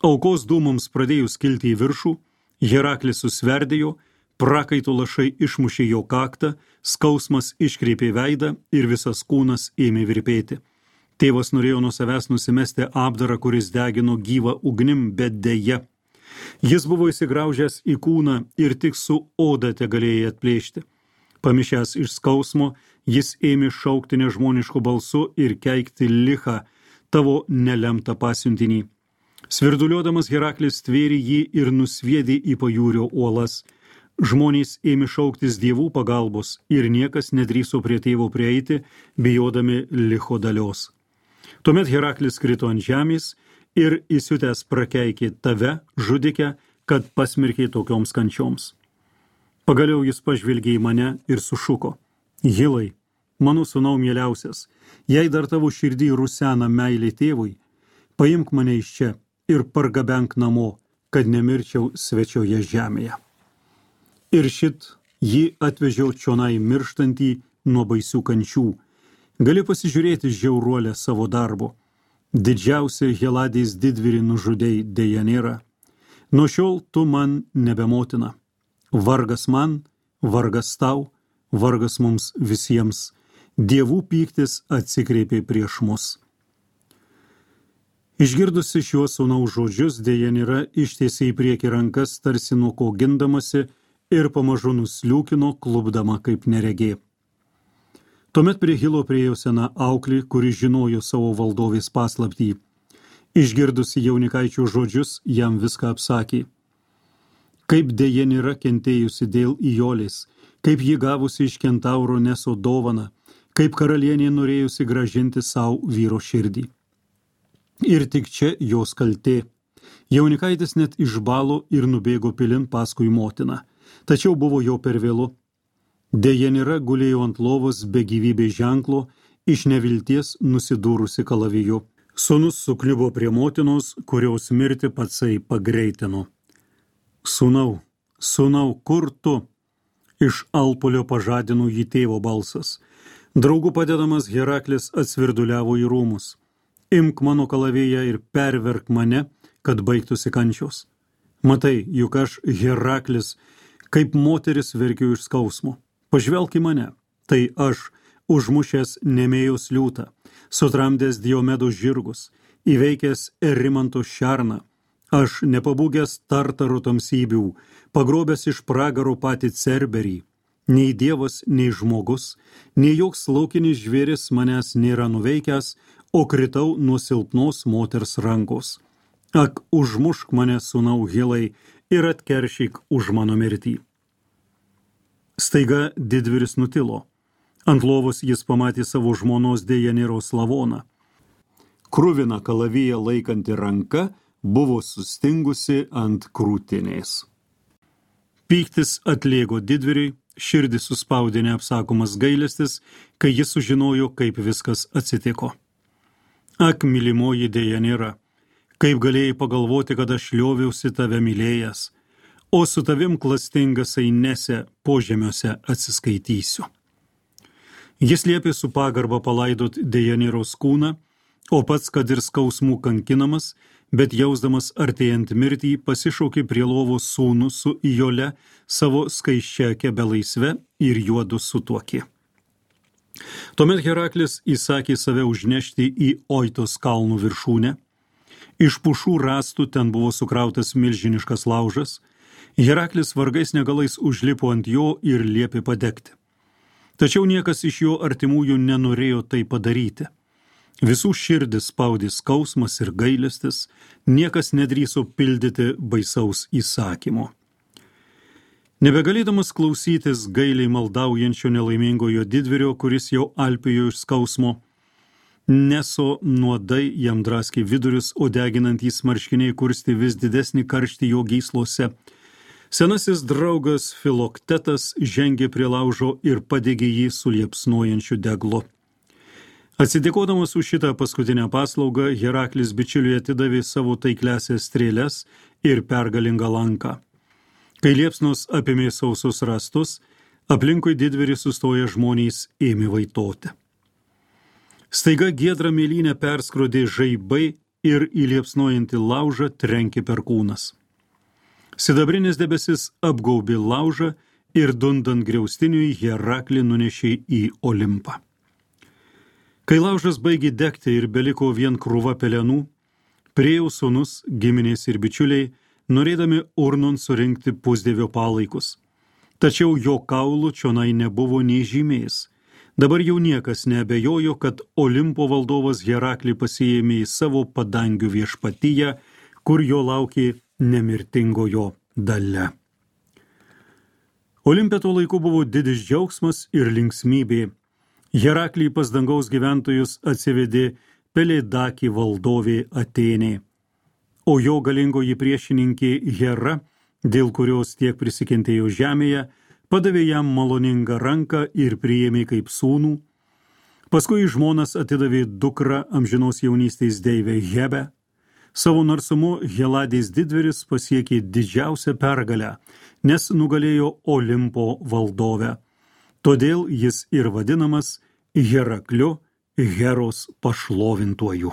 aukos dūmams pradėjus kilti į viršų, Heraklis susverdėjo, prakaito lašai išmušė jo kaktą, skausmas iškreipė veidą ir visas kūnas ėmė virpėti. Tėvas norėjo nuo savęs nusimesti apdarą, kuris degino gyvą ugnim, bet deja. Jis buvo įsigraužęs į kūną ir tik su oda tegalėjai atplėšti. Pamišęs iš skausmo, jis ėmė šaukti nežmonišku balsu ir keikti Lichą, tavo nelemtą pasiuntinį. Svirduliuodamas Heraklis tvėrė jį ir nusviedė į pajūrio uolas. Žmonės ėmė šauktis dievų pagalbos ir niekas nedrįso prie tėvo prieiti, bijodami Licho dalios. Tuomet Heraklis krito ant žemės ir įsiutęs prakeikė tave, žudikę, kad pasmerkė tokioms kančioms. Pagaliau jis pažvelgė į mane ir sušuko: Hilai, mano sūnau mieliausias, jei dar tavo širdį rusena meilė tėvui, paimk mane iš čia ir pargabenk namo, kad nemirčiau svečioje žemėje. Ir šit jį atvežiau čionai mirštantį nuo baisių kančių. Gali pasižiūrėti žiauruolę savo darbo. Didžiausia Heladės didvyrį nužudei Dejanira. Nuo šiol tu man nebemotina. Vargas man, vargas tau, vargas mums visiems. Dievų pyktis atsikreipė prieš mus. Išgirdusi šiuos sūnaus žodžius, Dejanira ištiesė į priekį rankas, tarsi nuo ko gindamasi, ir pamažu nusliūkino, klupdama kaip neregė. Tuomet prie Hilo priėjo sena auklė, kuri žinojo savo valdovės paslaptį. Išgirdusi jaunikaičio žodžius, jam viską apsakė. Kaip Dejanira kentėjusi dėl Ijolės, kaip ji gavusi iš kentauro Neso dovaną, kaip karalienė norėjusi gražinti savo vyro širdį. Ir tik čia jos kaltė. Jaunikaitis net išbalo ir nubėgo pilin paskui motiną, tačiau buvo jau per vėlu. Dejanira gulėjo ant lovos be gyvybės ženklo, iš nevilties nusidūrusi kalaviju. Sūnus sukliubo prie motinos, kurios mirtį patsai pagreitino. Sūnau, sūnau, kur tu? Iš alpulio pažadino jį tėvo balsas. Draugų padedamas Heraklis atsvirduliavo į rūmus. Imk mano kalavėją ir perverk mane, kad baigtųsi kančios. Matai, juk aš Heraklis, kaip moteris verkiu iš skausmo. Pažvelk į mane, tai aš, užmušęs Nemėjos liūtą, sutramdęs Diomedo žirgus, įveikęs Erimanto šerną, aš nepabūgęs Tartaro tamsybių, pagrobęs iš pragaro patį Cerberį. Nei dievas, nei žmogus, nei joks laukinis žvėris manęs nėra nuveikęs, o kritau nuo silpnos moters rankos. Ak, užmušk mane, sūnau Hilai, ir atkeršyk už mano mirtį. Staiga didvyris nutilo. Ant lovos jis pamatė savo žmonos Dejaniros lavoną. Kruvina kalaviją laikanti ranka buvo sustingusi ant krūtinės. Pyktis atlėgo didvyriui, širdį suspaudė neapsakomas gailestis, kai jis sužinojo, kaip viskas atsitiko. Ak, mylimoji Dejanira, kaip galėjai pagalvoti, kad aš lioviausi tave mylėjęs, o su tavim klastingas Ainese požemiuose atsiskaitysiu. Jis liepė su pagarba palaidot Dejaniros kūną, o pats, kad ir skausmų kankinamas, bet jausdamas artėjant mirtį, pasišaukė prie lovos sūnų su Ijole, savo skaisčia kebelaisve, ir juodu sutuokė. Tuomet Heraklis įsakė save užnešti į Oitos kalnų viršūnę. Iš pušų rąstų ten buvo sukrautas milžiniškas laužas. Heraklis vargais negalais užlipo ant jo ir liepė padegti. Tačiau niekas iš jo artimųjų nenorėjo tai padaryti. Visų širdis spaudė skausmas ir gailestis, niekas nedrįso pildyti baisaus įsakymo. Nebegalėdamas klausytis gailiai maldaujančio nelaimingojo didvyrio, kuris jau alpėjo iš skausmo, Neso nuodai jam draskė vidurius, o deginantys marškiniai kurstė vis didesnį karštį jo gyslose. Senasis draugas Filoktetas žengė prie laužo ir padegė jį su liepsnojančiu deglu. Atsidėkodamas už šitą paskutinę paslaugą, Heraklis bičiuliui atidavė savo taikliasias strėles ir pergalingą lanką. Kai liepsnos apėmė sausus rąstus, aplinkui didvyrį sustoję žmonės ėmė vaitoti. Staiga giedrą mėlynę perskrodė žaibai ir į liepsnojantį laužą trenkė perkūnas. Sidabrinis debesis apgaubė laužą ir dundant griaustiniui Heraklį nunešė į Olimpą. Kai laužas baigė degti ir beliko vien krūva pelenų, priėjo sūnus, giminės ir bičiuliai, norėdami urnon surinkti pusdievio palaikus. Tačiau jo kaulų čionai nebuvo nei žymės. Dabar jau niekas neabejojo, kad Olimpo valdovas Heraklį pasiėmė į savo padangių viešpatyje, kur jo laukė nemirtingojo dalia. Olimpe tuo laiku buvo didis džiaugsmas ir linksmybė. Heraklį pas dangaus gyventojus atsivedė Peledakį valdovė Atėnė. O jo galingoji priešininkė Hera, dėl kurios tiek prisikentėjo žemėje, padavė jam maloningą ranką ir priėmė kaip sūnų. Paskui žmonas atidavė dukrą amžinos jaunystės deivę Hebę. Savo narsumu Heladės didvyris pasiekė didžiausią pergalę, nes nugalėjo Olimpo valdovę. Todėl jis ir vadinamas Herakliu, Heros pašlovintuoju.